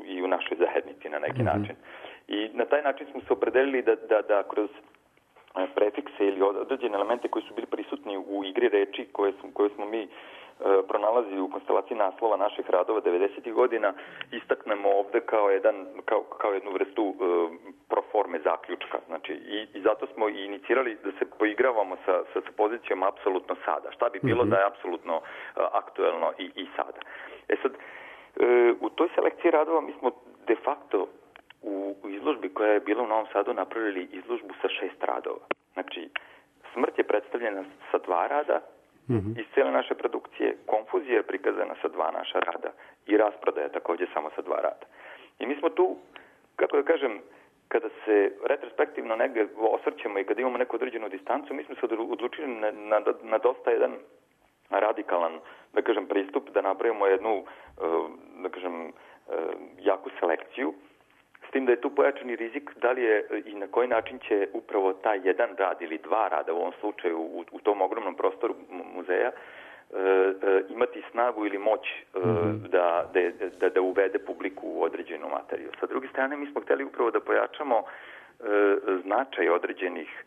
i u našoj zajednici na neki način. I na taj način smo se opredelili da kroz prefikse ili određene elemente koji su bili prisutni u igri reči koje smo mi pronalazili u konstelaciji naslova naših radova 90. godina, istaknemo ovde kao jednu vrstu proforme zaključka. Znači, i zato smo i inicirali da se poigravamo sa pozicijom apsolutno sada. Šta bi bilo da je apsolutno aktuelno i sada. Sad, u toj selekciji radova mi smo de facto u izložbi koja je bila u Novom Sadu napravili izložbu sa 6 radova. Znači, smrt je predstavljena sa 2 rada iz cijele naše produkcije, konfuzija je prikazana sa 2 naša rada i rasprodaja također samo sa 2 rada. I mi smo tu, kako da kažem, kada se retrospektivno negdje osvrćemo i kada imamo neku određenu distancu, mi smo se odlučili na dosta jedan radikalan, da kažem, pristup, da napravimo jednu, da kažem, jaku selekciju, s tim da je tu pojačani rizik da li je i na koji način će upravo taj jedan rad ili 2 rada u ovom slučaju u tom ogromnom prostoru muzeja imati snagu ili moć da uvede publiku u određenu materiju. Sa druge strane, mi smo htjeli upravo da pojačamo značaj određenih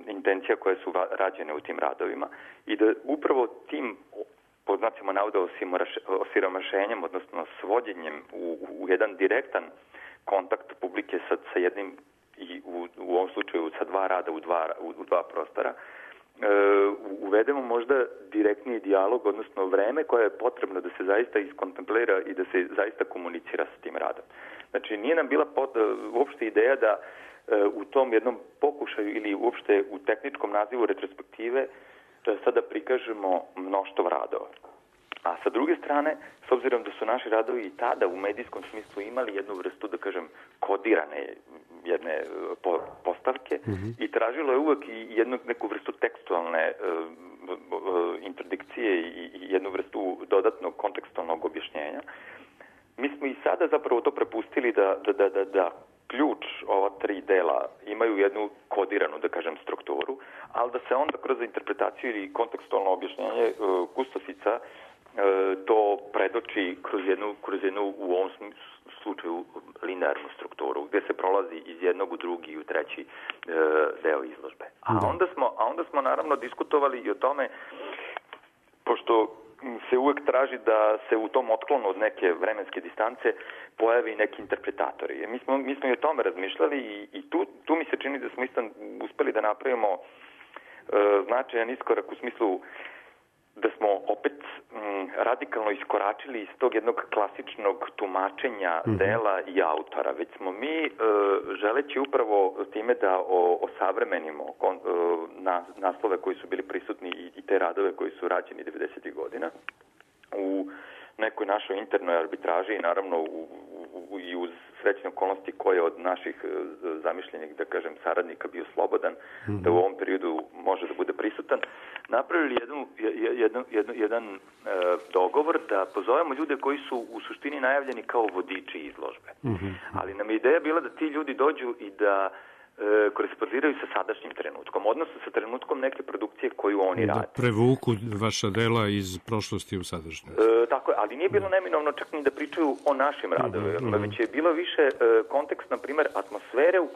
intencija koje su rađene u tim radovima i da upravo tim pod znacima navoda osiromašenjem, odnosno svođenjem u jedan direktan kontakt publike sa jednim i u ovom slučaju sa 2 rada u 2 prostora uvedemo možda direktniji dijalog, odnosno vreme koje je potrebno da se zaista iskontemplira i da se zaista komunicira sa tim radom. Znači, nije nam bila uopšte ideja da u tom jednom pokušaju ili uopšte u tehničkom nazivu retrospektive sada prikažemo mnoštvo radova. A sa druge strane, s obzirom da su naši radovi i tada u medijskom smislu imali jednu vrstu, da kažem, kodirane jedne postavke i tražilo je uvek i neku vrstu tekstualne interdikcije i jednu vrstu dodatnog kontekstualnog objašnjenja, mi smo i sada zapravo to prepustili da ključ ova 3 dela imaju jednu kodiranu, da kažem, strukturu, ali da se onda kroz interpretaciju ili kontekstualno objašnjenje kustosica to predoči kroz jednu u ovom slučaju linearnu strukturu, gdje se prolazi iz jednog u drugi i u treći deo izložbe. A onda smo naravno diskutovali i o tome, pošto se uvek traži da se u tom otklonu od neke vremenske distance pojavi neki interpretatori. Mi smo i o tome razmišljali i tu mi se čini da smo isto uspeli da napravimo značajan iskorak u smislu da smo opet radikalno iskoračili iz tog jednog klasičnog tumačenja dela i autora, već smo mi želeći upravo time da osavremenimo naslove koji su bili prisutni i te radove koji su rađeni 90. godina u nekoj našoj internoj arbitraži i naravno i uz srećne okolnosti koje od naših zamišljenih, da kažem, saradnika bio slobodan, da u ovom periodu može da bude prisutan, napravili jedan dogovor da pozovemo ljude koji su u suštini najavljeni kao vodiči izložbe. Ali nam je ideja bila da ti ljudi dođu i da korespondiraju sa sadašnjim trenutkom, odnosno sa trenutkom neke produkcije koju oni rade. Da prevuku vaša dela iz prošlosti u sadašnjost. Tako je, ali nije bilo neminovno čak ni da pričaju o našim radovima, već je bilo više kontekst, na primjer, atmosfere u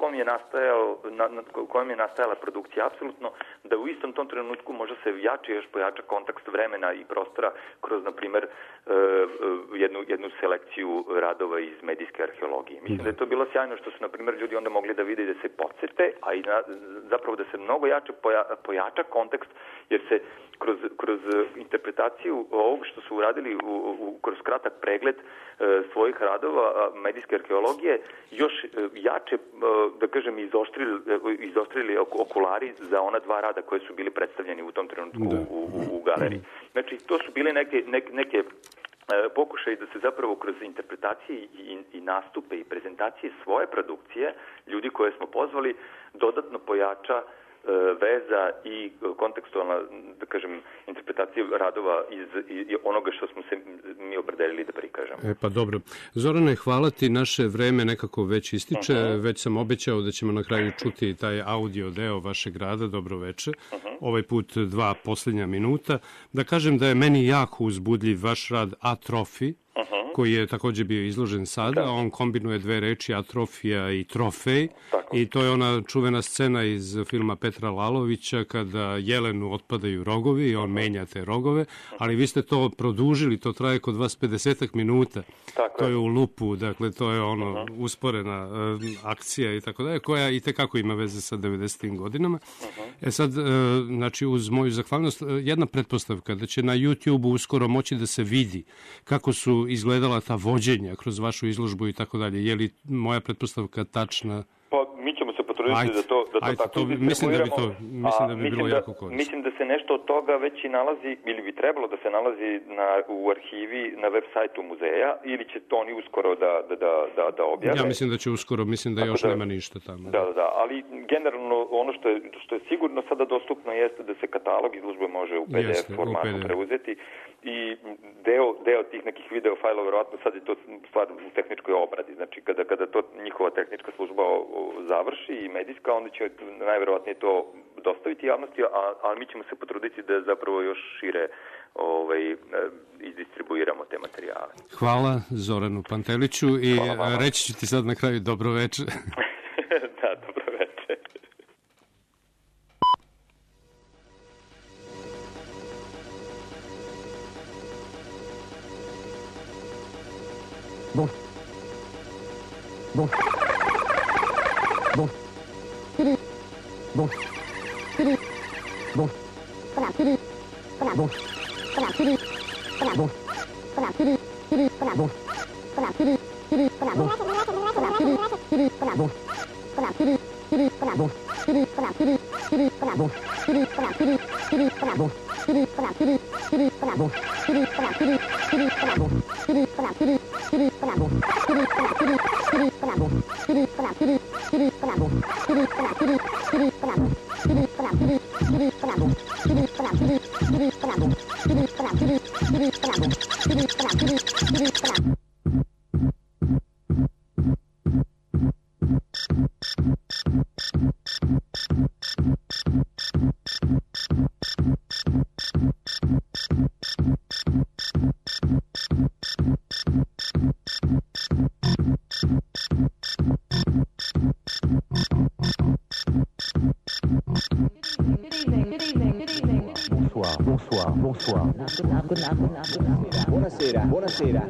kojem je nastajala produkcija, apsolutno, da u istom tom trenutku možda se još pojača kontekst vremena i prostora kroz, na primjer, jednu selekciju radova iz medijske arheologije. Mislim da je to bilo sjajno što su, na primjer, ljudi onda mogli da vide i da se podsjete, a i zapravo da se mnogo jače pojača kontekst, jer se kroz interpretaciju ovog što su uradili kroz kratak pregled svojih radova medijske arheologije još jače, da kažem, izostrili okulari za ona dva rada koje su bili predstavljeni u tom trenutku u galeriji. Znači, to su bile neke pokušaj da se zapravo kroz interpretacije i nastupe i prezentacije svoje produkcije, ljudi koje smo pozvali, dodatno pojača veza i kontekstualna, da kažem, interpretacija radova iz onoga što smo se mi opredelili da prikažemo. Pa dobro. Zorane, hvala ti, naše vreme nekako već ističe, već sam obećao da ćemo na kraju čuti taj audio deo vašeg rada, dobro veče, ovaj put 2 posljednja minuta. Da kažem da je meni jako uzbudljiv vaš rad Atrofi, koji je također bio izložen sada. On kombinuje dve reči, atrofija i trofej. I to je ona čuvena scena iz filma Petra Lalovića kada jelenu otpadaju rogovi i on menja te rogove, ali vi ste to produžili, to traje kod vas 50 minuta. To je u lupu, dakle to je ono usporena akcija i tako dalje, koja i tekako ima veze sa 90. godinama. Sad, znači uz moju zahvalnost, jedna pretpostavka da će na YouTube uskoro moći da se vidi kako su izgledala ta vođenja kroz vašu izložbu i tako dalje. Je li moja pretpostavka tačna? Pa mi ćemo se potruditi da to tako distribuiramo. Mislim da bi bilo jako korisno. Mislim da se nešto od toga već i nalazi, ili bi trebalo da se nalazi u arhivi na web sajtu muzeja, ili će to oni uskoro da objave. Ja mislim da će uskoro, mislim da još nema ništa tamo. Da, ali generalno ono što je sigurno sada dostupno jeste da se katalog izložbe može u PDF formatu preuzeti i deo tih nekih video fajlova, verovatno sad je to stvar u tehničkoj obradi. Znači kada to njihova tehnička služba završi i medijska, onda će najverovatnije to dostaviti javnosti, ali mi ćemo se potruditi da zapravo još šire izdistribuiramo te materijale. Hvala Zoranu Panteliću i reći ću ti sad na kraju dobro veče. Da, dobro veče. Bon. Bon. Bon. Bon. Bon. Bon. Bon. Bonsoir. Buonasera.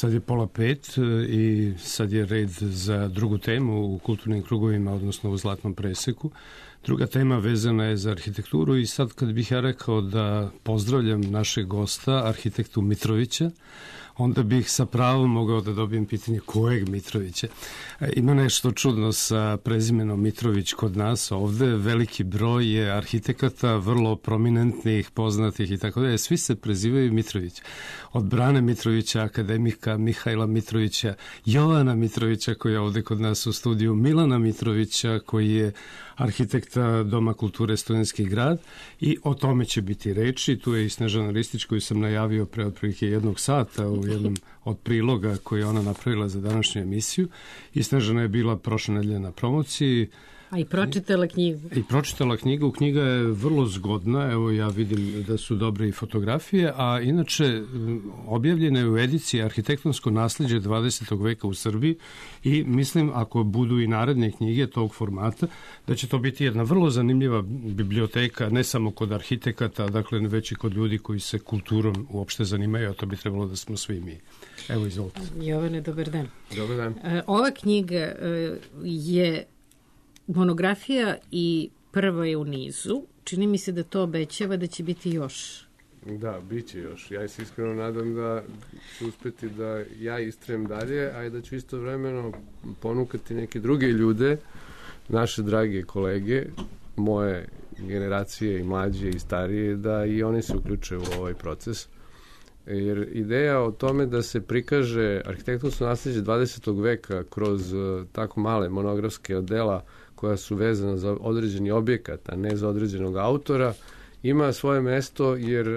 Sad je 4:30 i sad je red za drugu temu u kulturnim krugovima, odnosno u Zlatnom preseku. Druga tema vezana je za arhitekturu i sad kad bih ja rekao da pozdravljam našeg gosta, arhitektu Mitrovića, onda bih sa pravom mogao da dobijem pitanje kojeg Mitrovića. Ima nešto čudno sa prezimenom Mitrović kod nas ovde, veliki broj je arhitekata, vrlo prominentnih, poznatih i tako dalje, svi se prezivaju Mitrović. Od Brane Mitrovića, akademika Mihajla Mitrovića, Jovana Mitrovića koji je ovde kod nas u studiju, Milana Mitrovića koji je arhitekta Doma kulture Studentski grad, i o tome će biti reči. Tu je i Snežana Ristić koju sam najavio pre otprilike 1 sata u jednom od priloga koji je ona napravila za današnju emisiju. I Snežana je bila prošle nedelje na promociji. A i pročitala knjigu. I pročitala knjigu. Knjiga je vrlo zgodna. Evo, ja vidim da su dobre i fotografije, a inače objavljena je u ediciji Arhitektonsko naslijeđe 20. veka u Srbiji i mislim, ako budu i naredne knjige tog formata, da će to biti jedna vrlo zanimljiva biblioteka, ne samo kod arhitekata, dakle, već i kod ljudi koji se kulturom uopšte zanimaju, a to bi trebalo da smo svi mi. Evo, izvolite. Jovane, dobar dan. Dobar dan. Ova knjiga je monografija i prva je u nizu. Čini mi se da to obećava da će biti još. Da, bit će još. Ja se iskreno nadam da ću uspeti da ja istrajem dalje, a i da ću istovremeno ponukati neke druge ljude, naše drage kolege, moje generacije i mlađe i starije, da i oni se uključe u ovaj proces. Jer ideja o tome da se prikaže arhitektonsko naslijeđe 20. veka kroz tako male monografske dela koja su vezana za određeni objekat, a ne za određenog autora, ima svoje mesto jer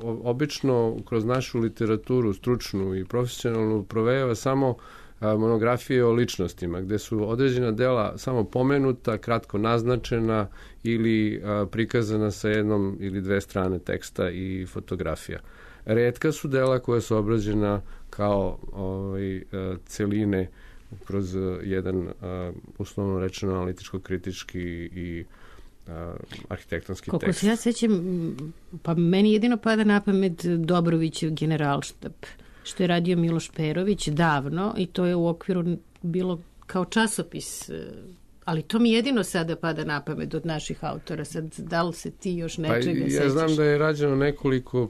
obično kroz našu literaturu, stručnu i profesionalnu, provejava samo monografije o ličnostima, gde su određena dela samo pomenuta, kratko naznačena ili prikazana sa 1 ili 2 strane teksta i fotografija. Retka su dela koja su obrađena kao celine kroz jedan, uslovno rečeno, analitičko-kritički i arhitektonski tekst. Koliko se ja sećam, pa meni jedino pada na pamet Dobrovićev Generalštab, što je radio Miloš Perović davno, i to je u okviru bilo kao časopis, ali to mi jedino sada pada na pamet od naših autora. Sad, da li se ti još nečega sećaš? Ja znam da je rađeno nekoliko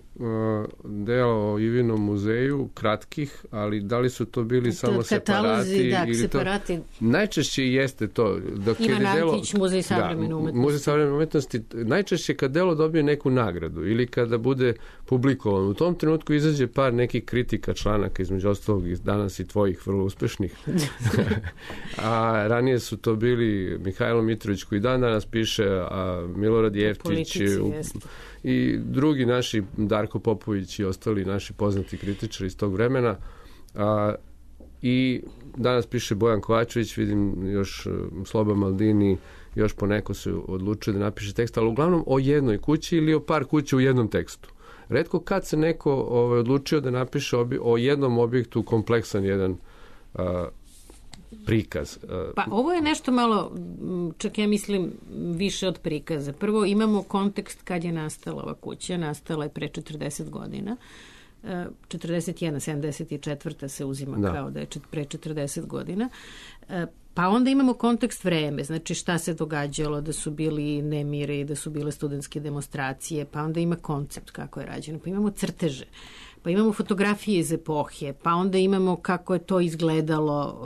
dela o Ivinom muzeju, kratkih, ali da li su to bili samo separati? Da, separati. Najčešće jeste to. Ivan Antić, Muzej savremene umetnosti. Muzej savremene umetnosti. Najčešće kad delo dobije neku nagradu ili kada bude publikovan, u tom trenutku izađe par nekih kritika članaka, između ostalog i danas i tvojih vrlo uspešnih. A ranije su to bili Mihajlo Mitrović koji danas piše, a Milorad Jeftić i drugi naši, Darko Popović i ostali naši poznati kritičari iz tog vremena. I danas piše Bojan Kovačević, vidim još Sloba Maldini, još poneko se odlučuje da napiše tekst, ali uglavnom o jednoj kući ili o par kuća u jednom tekstu. Retko kad se neko odlučio da napiše o jednom objektu kompleksan jedan prikaz. Pa ovo je nešto malo, čak ja mislim, više od prikaza. Prvo imamo kontekst kad je nastala ova kuća. Nastala je pre 40 godina. 41, 74. se uzima kao da je pre 40 godina. Pa onda imamo kontekst vreme, znači šta se događalo, da su bili nemiri, da su bile studentske demonstracije, pa onda ima koncept kako je rađeno, pa imamo crteže, pa imamo fotografije iz epohe, pa onda imamo kako je to izgledalo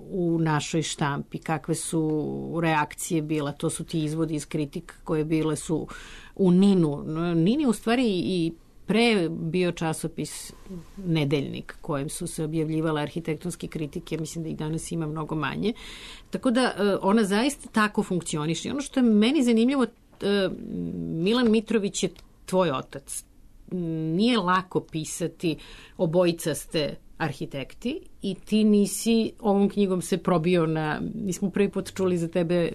u našoj štampi, kakve su reakcije bila, to su ti izvodi iz kritika koje bile su u Ninu. Nin je u stvari i pre bio časopis Nedeljnik kojem su se objavljivale arhitektonske kritike, mislim da ih danas ima mnogo manje. Tako da ona zaista tako funkcioniše. I ono što je meni zanimljivo, Milan Mitrović je tvoj otac. Nije lako pisati, obojica ste arhitekti i ti nisi ovom knjigom se probio nismo prvi put čuli za tebe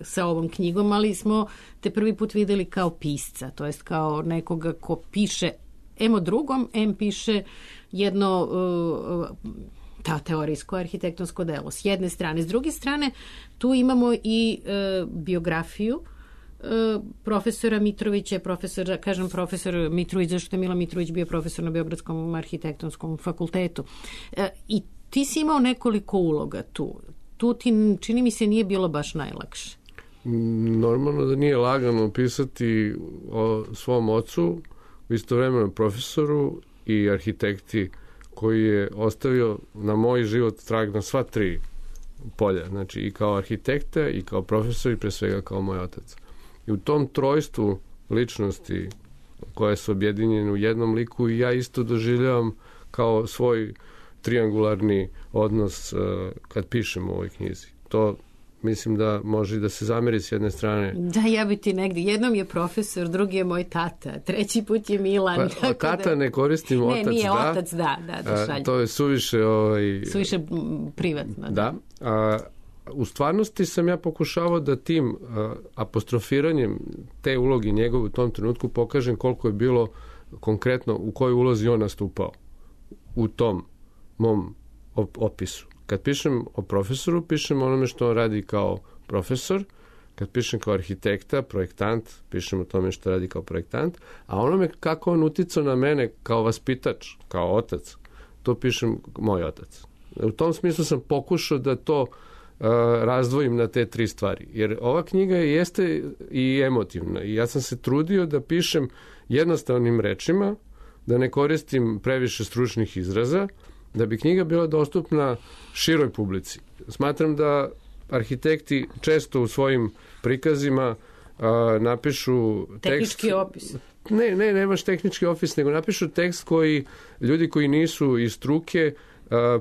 sa ovom knjigom, ali smo te prvi put videli kao pisca, to jest kao nekoga ko piše o drugom, piše jedno teorijsko arhitektonsko delo s jedne strane. S druge strane, tu imamo i biografiju profesora Mitrovića, profesor Mitrović, zašto je Milan Mitrović bio profesor na Beogradskom arhitektonskom fakultetu. I ti si imao nekoliko uloga tu. Tu ti, čini mi se, nije bilo baš najlakše. Normalno da nije lagano pisati o svom ocu, istovremeno profesoru i arhitekti koji je ostavio na moj život trag na sva 3 polja. Znači i kao arhitekta, i kao profesor, i pre svega kao moj otac. I u tom trojstvu ličnosti koje su objedinjene u jednom liku i ja isto doživljavam kao svoj triangularni odnos kad pišem u ovoj knjizi. To mislim da može da se zameri s jedne strane. Da, ja bi ti negdje. Jednom je profesor, drugi je moj tata, treći put je Milan. Pa, tata ne koristim, otac da. Ne, nije otac, da šalje. To je suviše... Suviše privatno. Da. U stvarnosti sam ja pokušavao da tim apostrofiranjem te uloge njegove u tom trenutku pokažem koliko je bilo konkretno u kojoj ulozi on nastupao u tom mom opisu. Kad pišem o profesoru, pišem onome što on radi kao profesor, kad pišem kao arhitekta, projektant, pišem o tome što radi kao projektant, a onome kako on uticao na mene kao vaspitač, kao otac, to pišem moj otac. U tom smislu sam pokušao da to razdvojim na te tri stvari. Jer ova knjiga jeste i emotivna i ja sam se trudio da pišem jednostavnim rečima, da ne koristim previše stručnih izraza, da bi knjiga bila dostupna široj publici. Smatram da arhitekti često u svojim prikazima napišu tehnički opis. Ne baš tehnički opis, nego napišu tekst koji ljudi koji nisu iz struke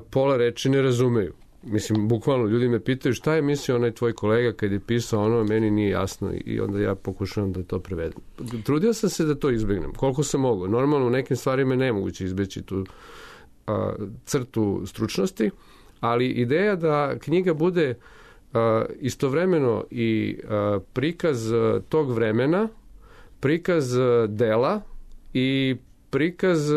pola reči ne razumeju. Mislim, bukvalno ljudi me pitaju šta je mislio onaj tvoj kolega kad je pisao ono, meni nije jasno i onda ja pokušavam da to prevedem. Trudio sam se da to izbjegnem, koliko sam mogao. Normalno u nekim stvarima je nemoguće izbeći tu crtu stručnosti, ali ideja da knjiga bude istovremeno i prikaz tog vremena, prikaz dela i prikaz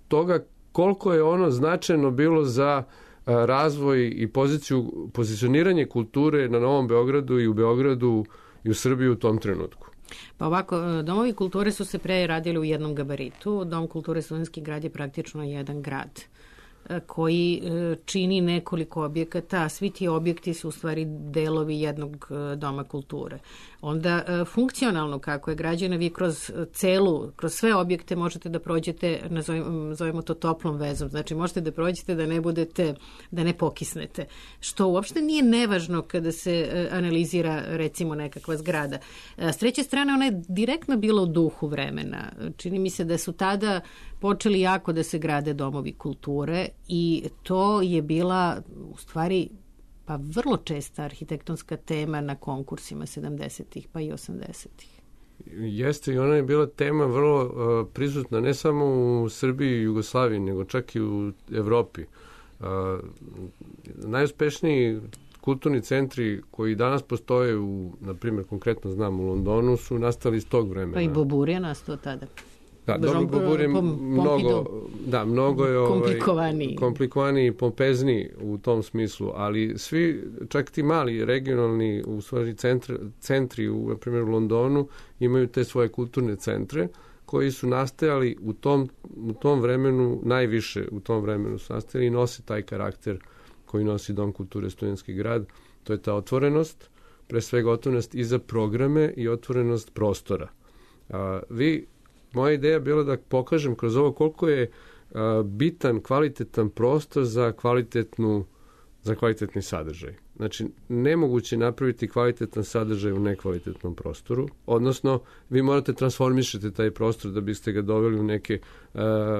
toga koliko je ono značajno bilo za razvoj i pozicioniranje kulture na Novom Beogradu i u Beogradu i u Srbiji u tom trenutku. Pa ovako, domovi kulture su se pre radili u jednom gabaritu. Dom kulture Studentski grad je praktično jedan grad koji čini nekoliko objekata, a svi ti objekti su u stvari delovi jednog doma kulture. Onda funkcionalno kako je građena, vi kroz sve objekte možete da prođete, nazovemo to toplom vezom, znači možete da prođete da ne pokisnete, što uopšte nije nevažno kada se analizira recimo nekakva zgrada. S treće strane, ona je direktno bila u duhu vremena. Čini mi se da su tada počeli jako da se grade domovi kulture i to je bila u stvari pa vrlo česta arhitektonska tema na konkursima 70-ih pa i 80-ih. Jeste, i ona je bila tema vrlo prisutna ne samo u Srbiji i Jugoslaviji, nego čak i u Evropi. Najuspešniji kulturni centri koji danas postoje na primjer, konkretno znam u Londonu, su nastali iz tog vremena. Pa i Bobur je nastao tada. Da, Bobur je mnogo je komplikovaniji i pompezniji u tom smislu, ali svi, čak ti mali regionalni u stvari centri na primjer u Londonu imaju te svoje kulturne centre koji su nastajali u tom vremenu, najviše u tom vremenu su nastajali i nose taj karakter koji nosi Dom kulture Studentski grad. To je ta otvorenost, pre svega otvorenost i za programe i otvorenost prostora. Moja ideja je bila da pokažem kroz ovo koliko je bitan, kvalitetan prostor za kvalitetni sadržaj. Znači, nemoguće napraviti kvalitetan sadržaj u nekvalitetnom prostoru, odnosno vi morate transformišiti taj prostor da biste ga doveli u neke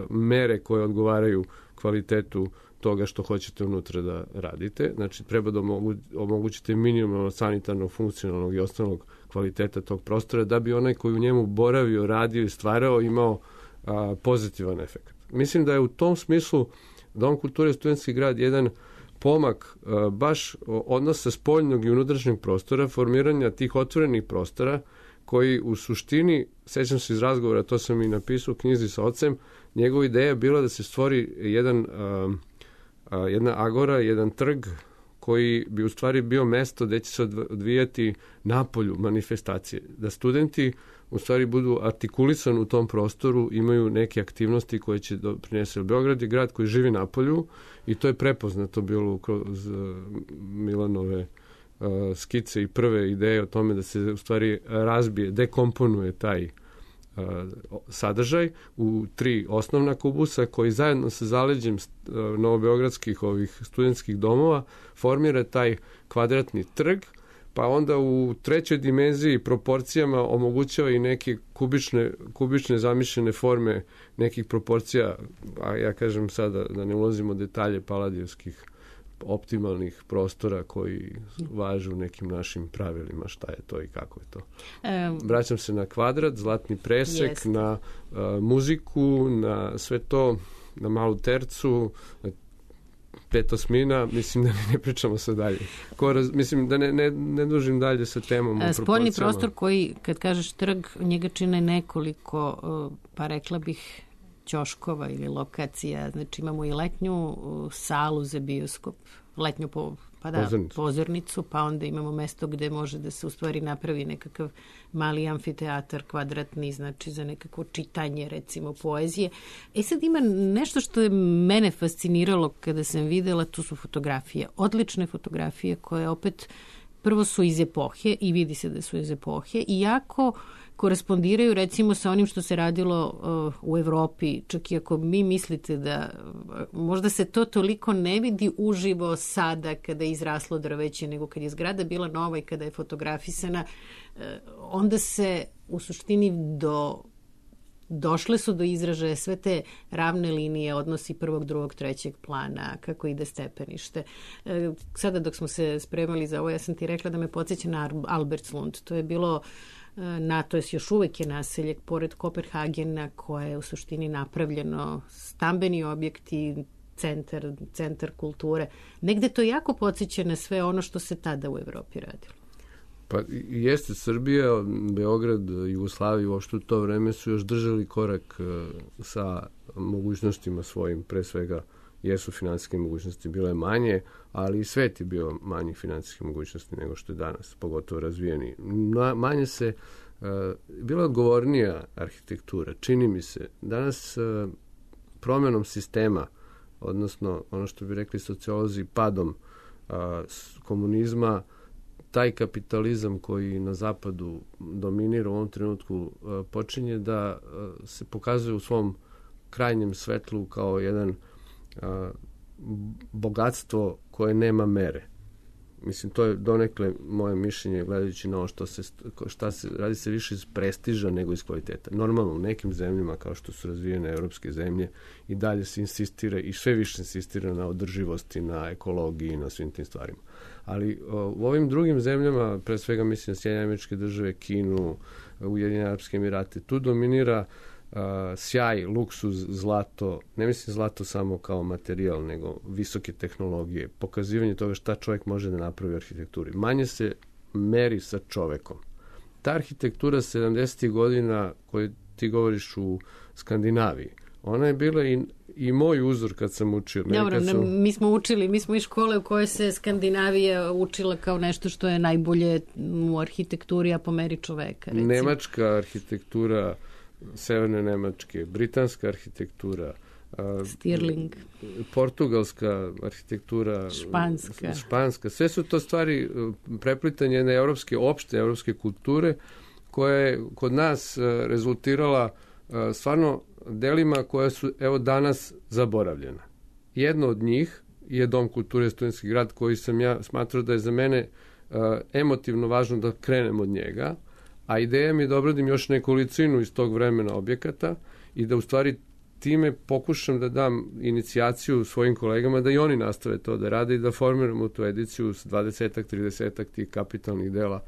mere koje odgovaraju kvalitetu toga što hoćete unutra da radite. Znači, treba da omogućite minimum sanitarnog, funkcionalnog i osnovnog kvaliteta tog prostora da bi onaj koji u njemu boravio, radio i stvarao imao pozitivan efekt. Mislim da je u tom smislu Dom kulture Studentski grad jedan pomak baš odnosa spoljnog i unutrašnjeg prostora, formiranja tih otvorenih prostora koji u suštini, sećam se iz razgovora, to sam i napisao u knjizi sa ocem, njegova ideja je bila da se stvori jedna agora, jedan trg koji bi u stvari bio mesto gde će se odvijati napolju manifestacije. Da studenti u stvari budu artikulisani u tom prostoru, imaju neke aktivnosti koje će doprinesti. Beograd je grad koji živi napolju i to je prepoznato bilo kroz Milanove skice i prve ideje o tome da se u stvari razbije, dekomponuje taj sadržaj u 3 osnovna kubusa koji zajedno sa zaleđem novobeogradskih ovih studentskih domova formira taj kvadratni trg, pa onda u 3. dimenziji proporcijama omogućava i neke kubične zamišljene forme nekih proporcija, a ja kažem sada da ne ulazimo u detalje paladijevskih optimalnih prostora koji važe u nekim našim pravilima šta je to i kako je to. Vraćam se na kvadrat, zlatni presek, na muziku, na sve to, na malu tercu, na petosmina, mislim da ne pričamo sad dalje. Mislim da ne dužim dalje sa temom. Spoljni prostor koji, kad kažeš trg, njega čine nekoliko, pa rekla bih, ćoškova ili lokacija. Znači imamo i letnju salu za bioskop, letnju pozornicu, pa onda imamo mesto gde može da se u stvari napravi nekakav mali amfiteatar kvadratni, znači za nekako čitanje, recimo poezije. Sad ima nešto što je mene fasciniralo kada sam videla, tu su fotografije, odlične fotografije koje opet prvo su iz epohe i vidi se da su iz epohe i jako korespondiraju recimo sa onim što se radilo u Evropi, čak i ako mi mislite da možda se to toliko ne vidi uživo sada kada je izraslo drveće, nego kad je zgrada bila nova i kada je fotografisana, onda se u suštini došle su do izražaja sve te ravne linije, odnosi prvog, drugog, trećeg plana, kako ide stepenište. Sada dok smo se spremali za ovo, ja sam ti rekla da me podsjeća na Albertslund. To je bilo to je još uvek je naselje pored Kopenhagena koje je u suštini napravljeno, stambeni objekti, centar kulture. Negde to jako podsjeća na sve ono što se tada u Evropi radilo. Pa jeste, Srbija, Beograd, Jugoslavija uopšte u to vreme su još držali korak sa mogućnostima svojim, pre svega jesu finansijske mogućnosti bile manje, ali i svet je bio manjih finansijskih mogućnosti nego što je danas, pogotovo razvijeni. Manje se, bila odgovornija arhitektura, čini mi se. Danas promjenom sistema, odnosno ono što bi rekli sociolozi, padom komunizma, taj kapitalizam koji na zapadu dominira u ovom trenutku počinje da se pokazuje u svom krajnjem svetlu kao jedan bogatstvo koje nema mere. Mislim, to je donekle moje mišljenje gledajući na ovo šta se radi se više iz prestiža nego iz kvaliteta. Normalno, u nekim zemljama kao što su razvijene evropske zemlje i dalje se insistira i sve više insistira na održivosti, na ekologiji, na svim tim stvarima. Ali u ovim drugim zemljama, pre svega mislim na Sjedinjene Američke Države, Kinu, Ujedinjene Arapske Emirate, tu dominira sjaj, luksuz, zlato, ne mislim zlato samo kao materijal, nego visoke tehnologije, pokazivanje toga šta čovjek može da napravi u arhitekturi. Manje se meri sa čovekom. Ta arhitektura 70. godina koju ti govoriš u Skandinaviji, ona je bila i moj uzor kad sam učio. Dobro, mi smo iz škole u kojoj se Skandinavija učila kao nešto što je najbolje u arhitekturi, a po meri čoveka. Recimo. Nemačka arhitektura, severne Nemačke, britanska arhitektura, Stirling, portugalska arhitektura, španska. Sve su to stvari preplitanje jedne opšte evropske kulture koja je kod nas rezultirala stvarno delima koja su evo danas zaboravljena. Jedno od njih je Dom kulture Studentski grad koji sam ja smatrao da je za mene emotivno važno da krenem od njega, a ideja mi je da obradim još nekolicinu iz tog vremena objekata i da u stvari time pokušam da dam inicijaciju svojim kolegama da i oni nastave to da rade i da formiramo tu ediciju s 20-ak, 30-ak tih kapitalnih dela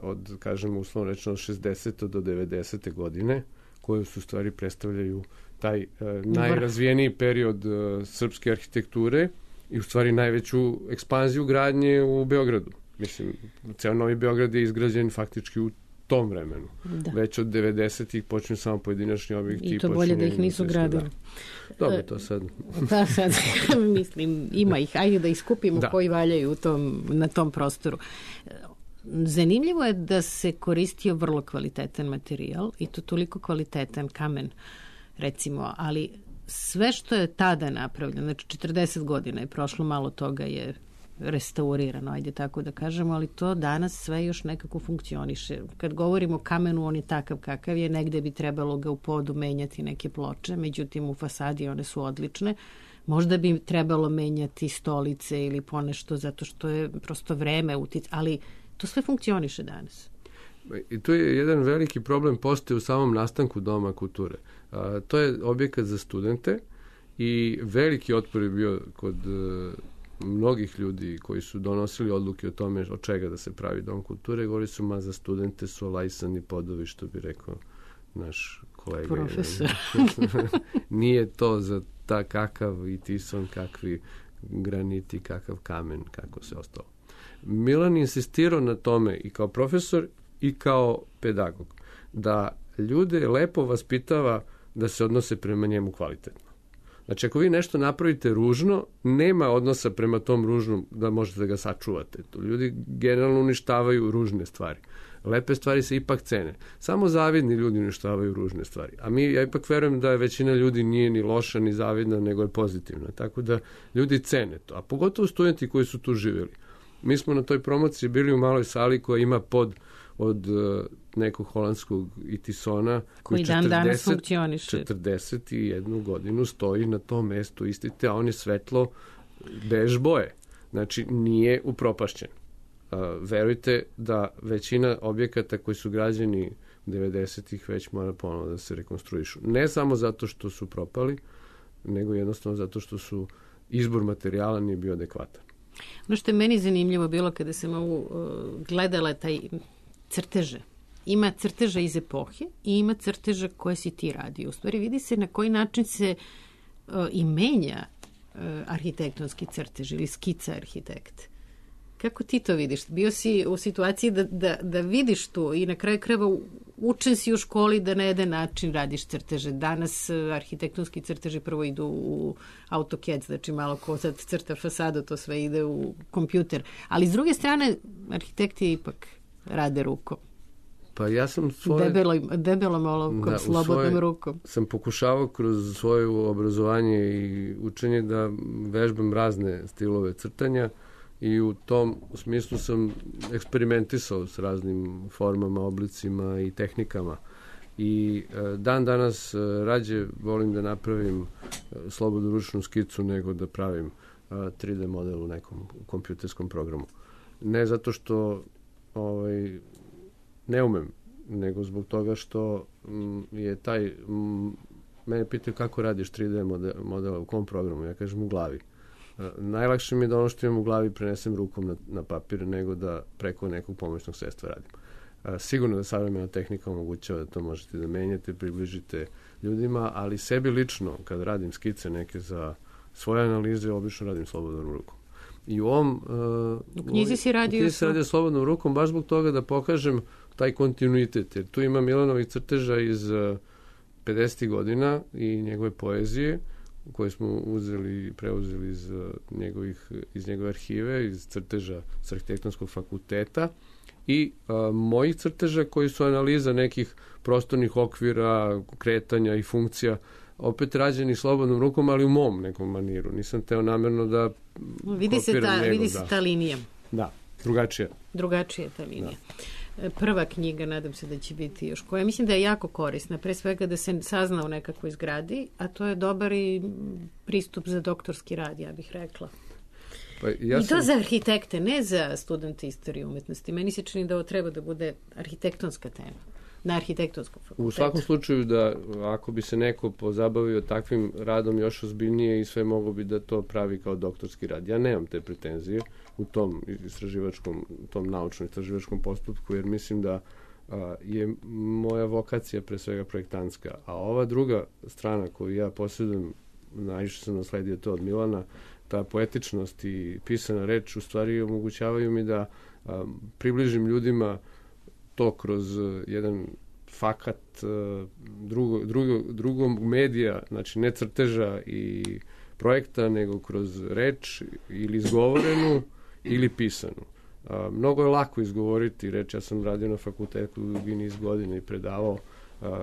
od, kažemo, uslovno rečeno 60. do 90. godine, koje su stvari predstavljaju taj najrazvijeniji period srpske arhitekture i u stvari najveću ekspanziju gradnje u Beogradu. Mislim, ceo Novi Beograd je izgrađen faktički u tom vremenu. Da. Već od 90-ih počinju samo pojedinačni objekti. I to bolje da ih nisu gradili. Dobro, to sad. Pa sad, mislim, ima ih. Ajde da iskupimo koji valjaju na tom prostoru. Zanimljivo je da se koristio vrlo kvalitetan materijal i to toliko kvalitetan kamen, recimo, ali sve što je tada napravljeno, znači 40 godina je prošlo, malo toga je restaurirano, ajde tako da kažemo, ali to danas sve još nekako funkcioniše. Kad govorimo o kamenu, on je takav kakav je, negde bi trebalo ga u podu menjati neke ploče, međutim u fasadi one su odlične. Možda bi trebalo menjati stolice ili ponešto, zato što je prosto vreme ali to sve funkcioniše danas. I tu je jedan veliki problem postoji u samom nastanku Doma kulture. To je objekat za studente i veliki otpor je bio kod mnogih ljudi koji su donosili odluke o tome od čega da se pravi dom kulture. Govorili su, ma za studente su olajsani podovi, što bi rekao naš kolega. Profesor. Nije to za kakav i tison, kakvi graniti, kakav kamen, kako se ostalo. Milan insistirao na tome i kao profesor i kao pedagog, da ljude lepo vaspitava da se odnose prema njemu kvalitetno. Znači, ako vi nešto napravite ružno, nema odnosa prema tom ružnom da možete da ga sačuvate. To ljudi generalno uništavaju ružne stvari. Lepe stvari se ipak cene. Samo zavidni ljudi uništavaju ružne stvari. A ja ipak verujem da većina ljudi nije ni loša, ni zavidna, nego je pozitivna. Tako da ljudi cene to. A pogotovo studenti koji su tu živjeli. Mi smo na toj promociji bili u maloj sali koja ima od nekog holandskog itisona koji dan danas funkcioniše. 41 godinu stoji na tom mestu istite, a on je svetlo bež boje. Znači, nije upropašćen. Verujte da većina objekata koji su građeni 90-ih već mora ponovo da se rekonstruišu. Ne samo zato što su propali, nego jednostavno zato što su izbor materijala nije bio adekvatan. Ono što je meni zanimljivo bilo kada sam gledala taj crteže. Ima crteža iz epohe i ima crteža koje si ti radio. U stvari vidi se na koji način se i menja arhitektonski crtež ili skica arhitekta. Kako ti to vidiš? Bio si u situaciji da vidiš to i na kraju krajeva učen si u školi da na jedan način radiš crteže. Danas arhitektonski crteži prvo idu u AutoCAD, znači malo ko sad crta fasadu, to sve ide u kompjuter. Ali s druge strane, arhitekti ipak rade rukom. Pa ja sam debelom olovkom, slobodnom rukom. Sam pokušavao kroz svoje obrazovanje i učenje da vežbam razne stilove crtanja i u tom smislu sam eksperimentisao s raznim formama, oblicima i tehnikama. I dan danas rađe volim da napravim slobodnu ručnu skicu nego da pravim 3D model u nekom kompjuterskom programu. Ne zato što ne umem, nego zbog toga što je mene pitaju kako radiš 3D modela u kom programu, ja kažem u glavi. Najlakše mi je da ono što imam u glavi prenesem rukom na papir nego da preko nekog pomoćnog sredstva radim. Sigurno da savremena tehnika omogućava da to možete da menjate, približite ljudima, ali sebi lično, kad radim skice neke za svoje analize, obično radim slobodnom rukom. I u knjizi si radio slobodnom rukom baš zbog toga da pokažem taj kontinuitet. Jer tu ima Milanovih crteža iz 50. godina i njegove poezije koje smo preuzeli iz njegove arhive, iz crteža s arhitektonskog fakulteta i mojih crteža koji su analiza nekih prostornih okvira, kretanja i funkcija, opet rađeni slobodnom rukom, ali u mom nekom maniru. Nisam teo namjerno da vidi se ta linija. Da, drugačija. Drugačija ta linija. Da. Prva knjiga, nadam se da će biti još koja. Mislim da je jako korisna, pre svega da se sazna u nekakvoj zgradi, a to je dobar i pristup za doktorski rad, ja bih rekla. I to za arhitekte, ne za studente istorije umetnosti. Meni se čini da ovo treba da bude arhitektonska tema. Na arhitektonskom fakultetu. U svakom slučaju da ako bi se neko pozabavio takvim radom još ozbiljnije i sve mogo bi da to pravi kao doktorski rad. Ja nemam te pretenzije u tom naučno-istraživačkom postupku jer mislim da je moja vokacija pre svega projektantska. A ova druga strana koju ja posjedujem, najviše sam nasledio to od Milana, ta poetičnost i pisana reč u stvari omogućavaju mi da približim ljudima to kroz jedan fakat drugog medija, znači ne crteža i projekta, nego kroz reč ili izgovorenu ili pisanu. Mnogo je lako izgovoriti reč, ja sam radio na fakultetu dugi niz godina i predavao,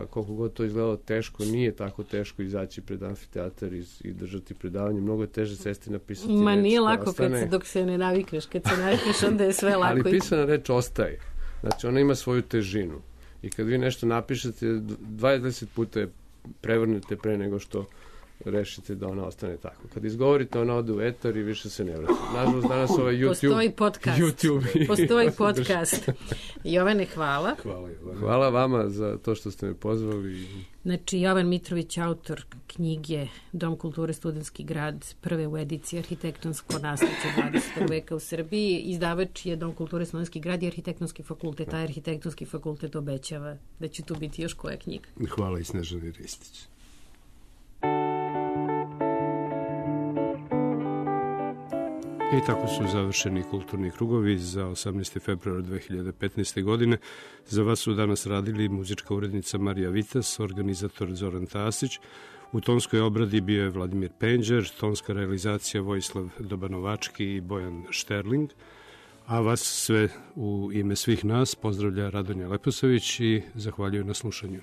koliko god to izgledalo teško, nije tako teško izaći pred amfiteatar i držati predavanje, mnogo je teže sesti napisati reč. Ma nije lako dok se ne navikneš, kad se navikneš onda je sve lako. Ali pisana reč ostaje. Znači, ona ima svoju težinu. I kad vi nešto napišete, 20 puta je prevrnete pre nego što rešite da ona ostane tako. Kad izgovorite, ona ode u etar i više se ne vrati. Nažalost, danas ovaj YouTube... Postoji podcast. Postoji podcast. Jovane, hvala. Hvala vama za to što ste me pozvali. Znači, Jovan Mitrović, autor knjige Dom kulture Studentski grad, prve u ediciji Arhitektonsko nasleđe 21. veka u Srbiji. Izdavač je Dom kulture Studentski grad i Arhitektonski fakultet. A Arhitektonski fakultet obećava da će tu biti još koja knjiga. Hvala i Snežani Ristić. I tako su završeni kulturni krugovi za 18. februar 2015. godine. Za vas su danas radili muzička urednica Marija Vitas, organizator Zoran Tasić. U tonskoj obradi bio je Vladimir Penđer, tonska realizacija Vojislav Dobanovački i Bojan Šterling. A vas sve u ime svih nas pozdravlja Radonja Leposavić i zahvaljujem na slušanju.